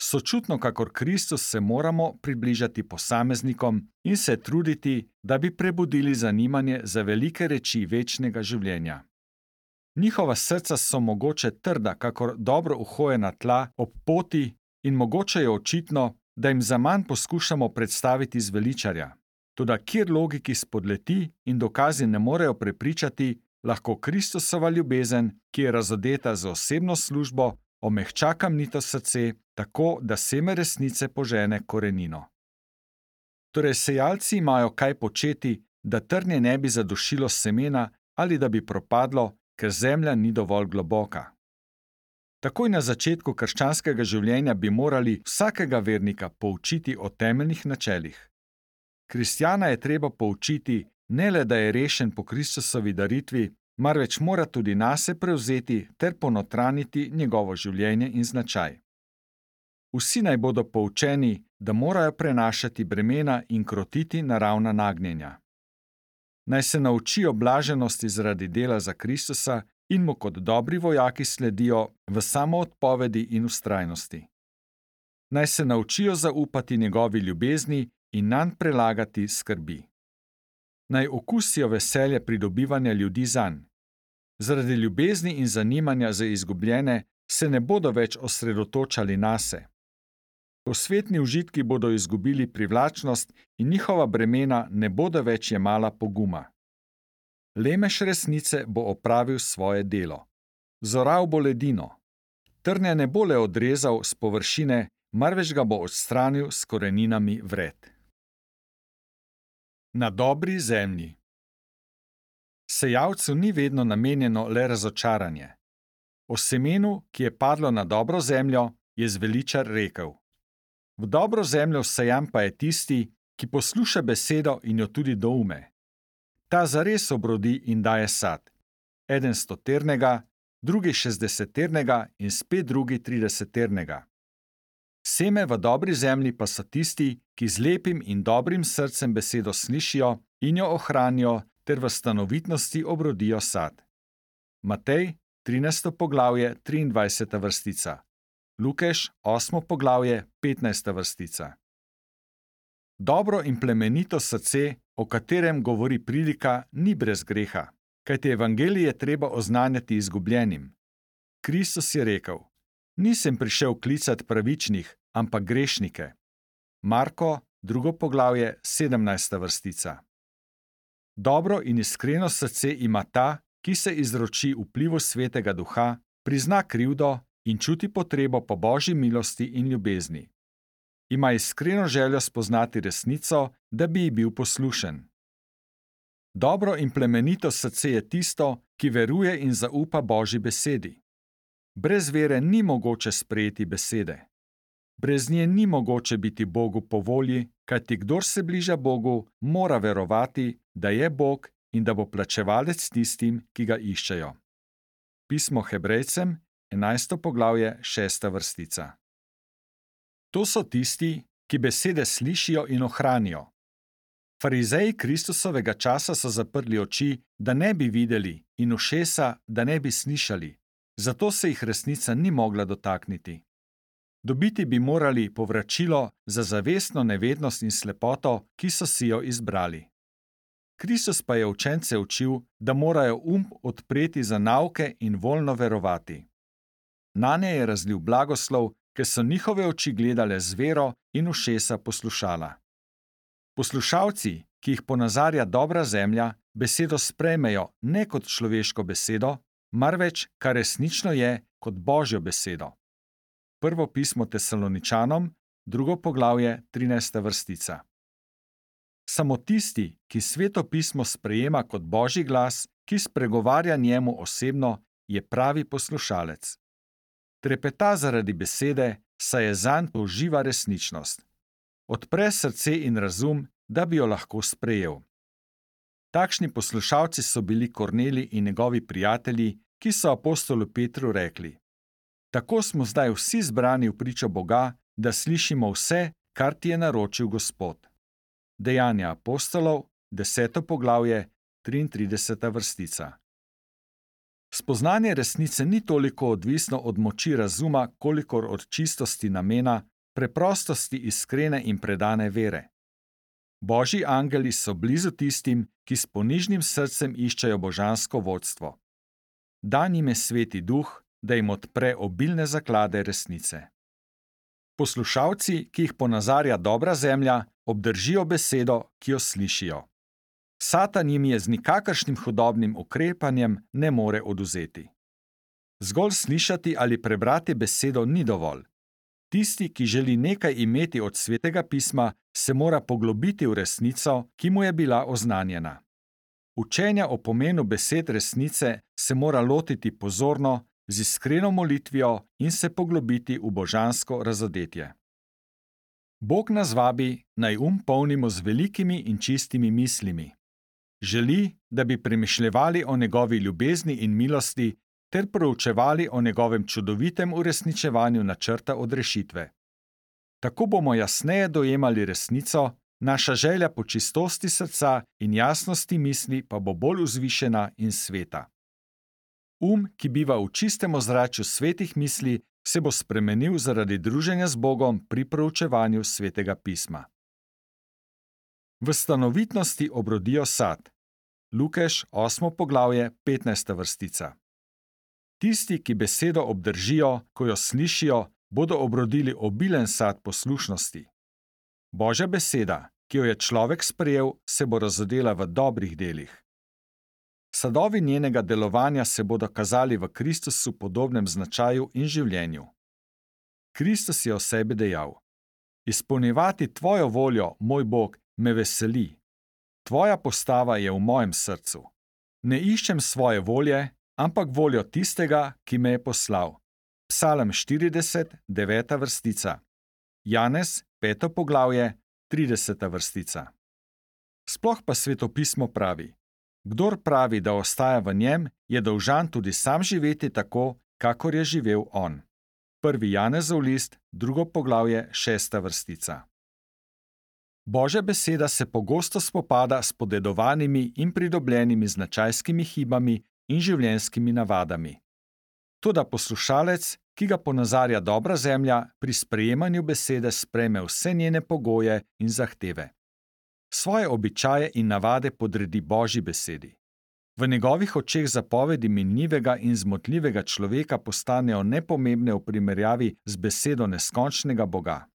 Sočutno kakor Kristus se moramo približati posameznikom in se truditi, da bi prebudili zanimanje za velike reči večnega življenja. Njihova srca so mogoče trda kakor dobro uhojena tla ob poti in mogoče je očitno, da jim zaman poskušamo predstaviti zveličarja. Toda kjer logiki spodleti in dokazi ne morejo prepričati, lahko Kristusova ljubezen, ki je razodeta z osebno službo, omehča kamnito srce, tako da seme resnice požene korenino. Torej sejalci imajo kaj početi, da trnje ne bi zadušilo semena ali da bi propadlo, ker zemlja ni dovolj globoka. Takoj na začetku krščanskega življenja bi morali vsakega vernika poučiti o temeljnih načelih. Kristjana je treba poučiti ne le, da je rešen po Kristusovi daritvi, marveč mora tudi nase prevzeti ter ponotraniti njegovo življenje in značaj. Vsi naj bodo poučeni, da morajo prenašati bremena in krotiti naravna nagnjenja. Naj se naučijo blaženosti zaradi dela za Kristusa in mu kot dobri vojaki sledijo v samoodpovedi in vztrajnosti. Naj se naučijo zaupati njegovi ljubezni in nanj prelagati skrbi. Naj okusijo veselje pridobivanja ljudi zanj. Zaradi ljubezni in zanimanja za izgubljene se ne bodo več osredotočali nase. Posvetni užitki bodo izgubili privlačnost in njihova bremena ne bodo več jemala poguma. Lemež resnice bo opravil svoje delo. Zoral bo ledino. Trnja ne bo le odrezal s površine, marveč ga bo odstranil s koreninami vred. Na dobri zemlji. Sejalcu ni vedno namenjeno le razočaranje. O semenu, ki je padlo na dobro zemljo, je zveličar rekel: V dobro zemljo vsejan pa je tisti, ki posluša besedo in jo tudi doume. Ta zares obrodi in daje sad. Eden 100-ternega, drugi 60-ternega in spet drugi 30-ternega. Seme v dobri zemlji pa so tisti, ki z lepim in dobrim srcem besedo slišijo in jo ohranijo ter v stanovitnosti obrodijo sad. Matej, 13. poglavje, 23. vrstica. Lukeš, 8. poglavje, 15. vrstica. Dobro in plemenito srce, o katerem govori prilika, ni brez greha, kajti evangelije treba oznanjati izgubljenim. Kristus je rekel: Nisem prišel klicat pravičnih, ampak grešnike. Marko, 2. poglavje, 17. vrstica. Dobro in iskreno srce ima ta, ki se izroči vplivu Svetega Duha, prizna krivdo in čuti potrebo po Božji milosti in ljubezni. Ima iskreno željo spoznati resnico, da bi ji bil poslušen. Dobro in plemenito srce je tisto, ki veruje in zaupa Božji besedi. Brez vere ni mogoče sprejeti besede. Brez nje ni mogoče biti Bogu po volji, kajti kdor se bliža Bogu, mora verovati, da je Bog in da bo plačevalec tistim, ki ga iščejo. Pismo Hebrejcem, 11. poglavje, 6. vrstica. To so tisti, ki besede slišijo in ohranijo. Farizeji Kristusovega časa so zaprli oči, da ne bi videli, in ušesa, da ne bi slišali, zato se jih resnica ni mogla dotakniti. Dobiti bi morali povračilo za zavestno nevednost in slepoto, ki so si jo izbrali. Kristus pa je učence učil, da morajo odpreti za nauke in voljno verovati. Nanje je razlil blagoslov, ker so njihove oči gledale z vero in ušesa poslušala. Poslušalci, ki jih ponazarja dobra zemlja, besedo sprejmejo ne kot človeško besedo, marveč, kar resnično je, kot Božjo besedo. Prvo pismo Tesaloničanom, 2. poglavje, 13. vrstica. Samo tisti, ki Sveto pismo sprejema kot Božji glas, ki spregovarja njemu osebno, je pravi poslušalec. Trepeta zaradi besede, saj je zanj to živa resničnost. Odpre srce in razum, da bi jo lahko sprejel. Takšni poslušalci so bili Kornelij in njegovi prijatelji, ki so apostolu Petru rekli: Tako smo zdaj vsi zbrani v pričo Boga, da slišimo vse, kar ti je naročil Gospod. Dejanja apostolov, 10. poglavje, 33. vrstica. Spoznanje resnice ni toliko odvisno od moči razuma, kolikor od čistosti namena, preprostosti iskrene in predane vere. Božji angeli so blizu tistim, ki s ponižnim srcem iščejo božansko vodstvo. Dan jim je Sveti Duh, da jim odpre obilne zaklade resnice. Poslušalci, ki jih ponazarja dobra zemlja, obdržijo besedo, ki jo slišijo. Satan jim je z nikakršnim hudobnim ukrepanjem ne more odvzeti. Zgolj slišati ali prebrati besedo ni dovolj. Tisti, ki želi nekaj imeti od Svetega pisma, se mora poglobiti v resnico, ki mu je bila oznanjena. Učenja o pomenu besed resnice se mora lotiti pozorno, z iskreno molitvijo in se poglobiti v božansko razodetje. Bog nas vabi, naj polnimo z velikimi in čistimi mislimi. Želi, da bi premišljevali o njegovi ljubezni in milosti ter proučevali o njegovem čudovitem uresničevanju načrta odrešitve. Tako bomo jasneje dojemali resnico, naša želja po čistosti srca in jasnosti misli pa bo bolj vzvišena in sveta. Ki biva v čistem ozračju svetih misli, se bo spremenil zaradi druženja z Bogom pri proučevanju Svetega pisma. V stanovitnosti obrodijo sad. Lukeš 8. poglavje 15. vrstica. Tisti, ki besedo obdržijo, ko jo slišijo, bodo obrodili obilen sad poslušnosti. Božja beseda, ki jo je človek sprejel, se bo razodela v dobrih delih. Sadovi njenega delovanja se bodo kazali v Kristusu podobnem značaju in življenju. Kristus je o sebi dejal: Izpolnjevati tvojo voljo, moj Bog, me veseli. Tvoja postava je v mojem srcu. Ne iščem svoje volje, ampak voljo tistega, ki me je poslal. Psalm 40, 9. vrstica. Janez, 5. poglavje, 30. vrstica. Sploh pa Svetopismo pravi: Kdor pravi, da ostaja v njem, je dolžan tudi sam živeti tako, kakor je živel on. 1. Janezov list, 2. poglavje, 6. vrstica. Božja beseda se pogosto spopada s podedovanimi in pridobljenimi značajskimi hibami in življenjskimi navadami. Toda poslušalec, ki ga ponazarja dobra zemlja, pri sprejemanju besede sprejme vse njene pogoje in zahteve. Svoje običaje in navade podredi Božji besedi. V njegovih očeh zapovedi minljivega in zmotljivega človeka postanejo nepomembne v primerjavi z besedo neskončnega Boga.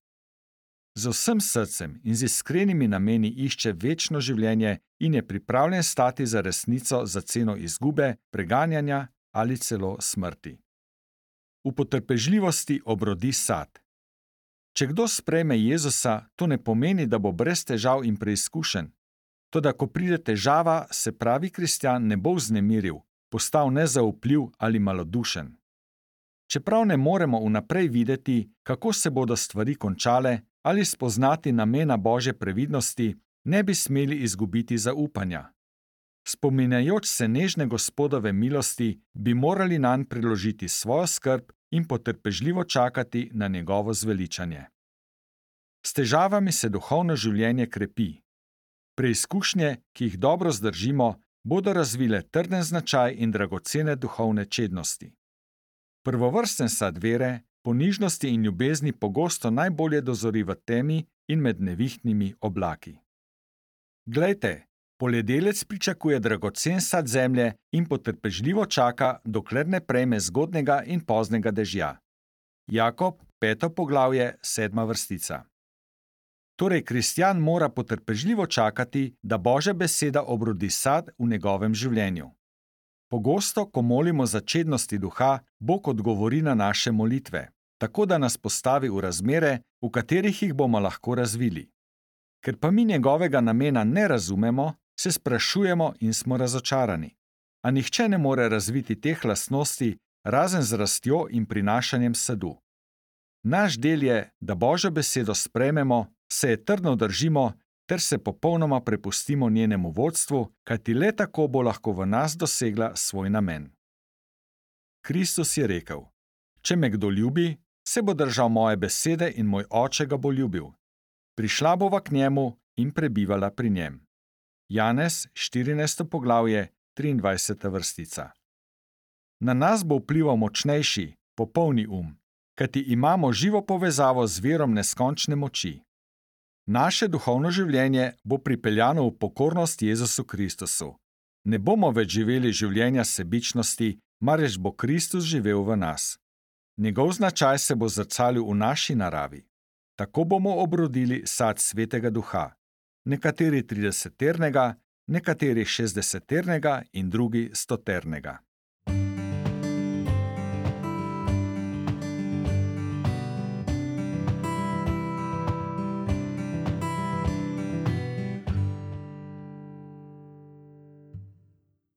Z vsem srcem in z iskrenimi nameni išče večno življenje in je pripravljen stati za resnico za ceno izgube, preganjanja ali celo smrti. V potrpežljivosti obrodi sad. Če kdo sprejme Jezusa, to ne pomeni, da bo brez težav in preizkušenj. Toda ko pride težava, se pravi kristjan ne bo vznemiril, postal nezaupljiv ali malodušen. Čeprav ne moremo vnaprej videti, kako se bodo stvari končale, ali spoznati namena Božje previdnosti, ne bi smeli izgubiti zaupanja. Spominjajoč se nežne Gospodove milosti, bi morali nanj priložiti svojo skrb in potrpežljivo čakati na njegovo zveličanje. S težavami se duhovno življenje krepi. Preizkušnje, ki jih dobro zdržimo, bodo razvile trden značaj in dragocene duhovne čednosti. Prvovrsten sad vere, ponižnosti in ljubezni pogosto najbolje dozori v temi in med nevihtnimi oblaki. Glejte, poljedelec pričakuje dragocen sad zemlje in potrpežljivo čaka, dokler ne prejme zgodnega in poznega dežja. Jakob, 5. poglavje, 7. vrstica. Torej, kristjan mora potrpežljivo čakati, da Božja beseda obrodi sad v njegovem življenju. Pogosto, ko molimo za čednosti duha, Bog odgovori na naše molitve, tako da nas postavi v razmere, v katerih jih bomo lahko razvili. Ker pa mi njegovega namena ne razumemo, se sprašujemo in smo razočarani. A nihče ne more razviti teh lastnosti, razen z rastjo in prinašanjem sadu. Naš del je, da Božjo besedo sprejmemo, se je trdno držimo ter se popolnoma prepustimo njenemu vodstvu, kajti le tako bo lahko v nas dosegla svoj namen. Kristus je rekel: Če me kdo ljubi, se bo držal moje besede in moj Oče ga bo ljubil. Prišla bova k njemu in prebivala pri njem. Janez, 14. poglavje, 23. vrstica. Na nas bo vplival močnejši, popolni kajti imamo živo povezavo z virom neskončne moči. Naše duhovno življenje bo pripeljano v pokornost Jezusu Kristusu. Ne bomo več živeli življenja sebičnosti, marveč bo Kristus živel v nas. Njegov značaj se bo zrcalil v naši naravi. Tako bomo obrodili sad Svetega Duha. Nekateri 30-ternega, nekateri 60-ternega in drugi 100-ternega.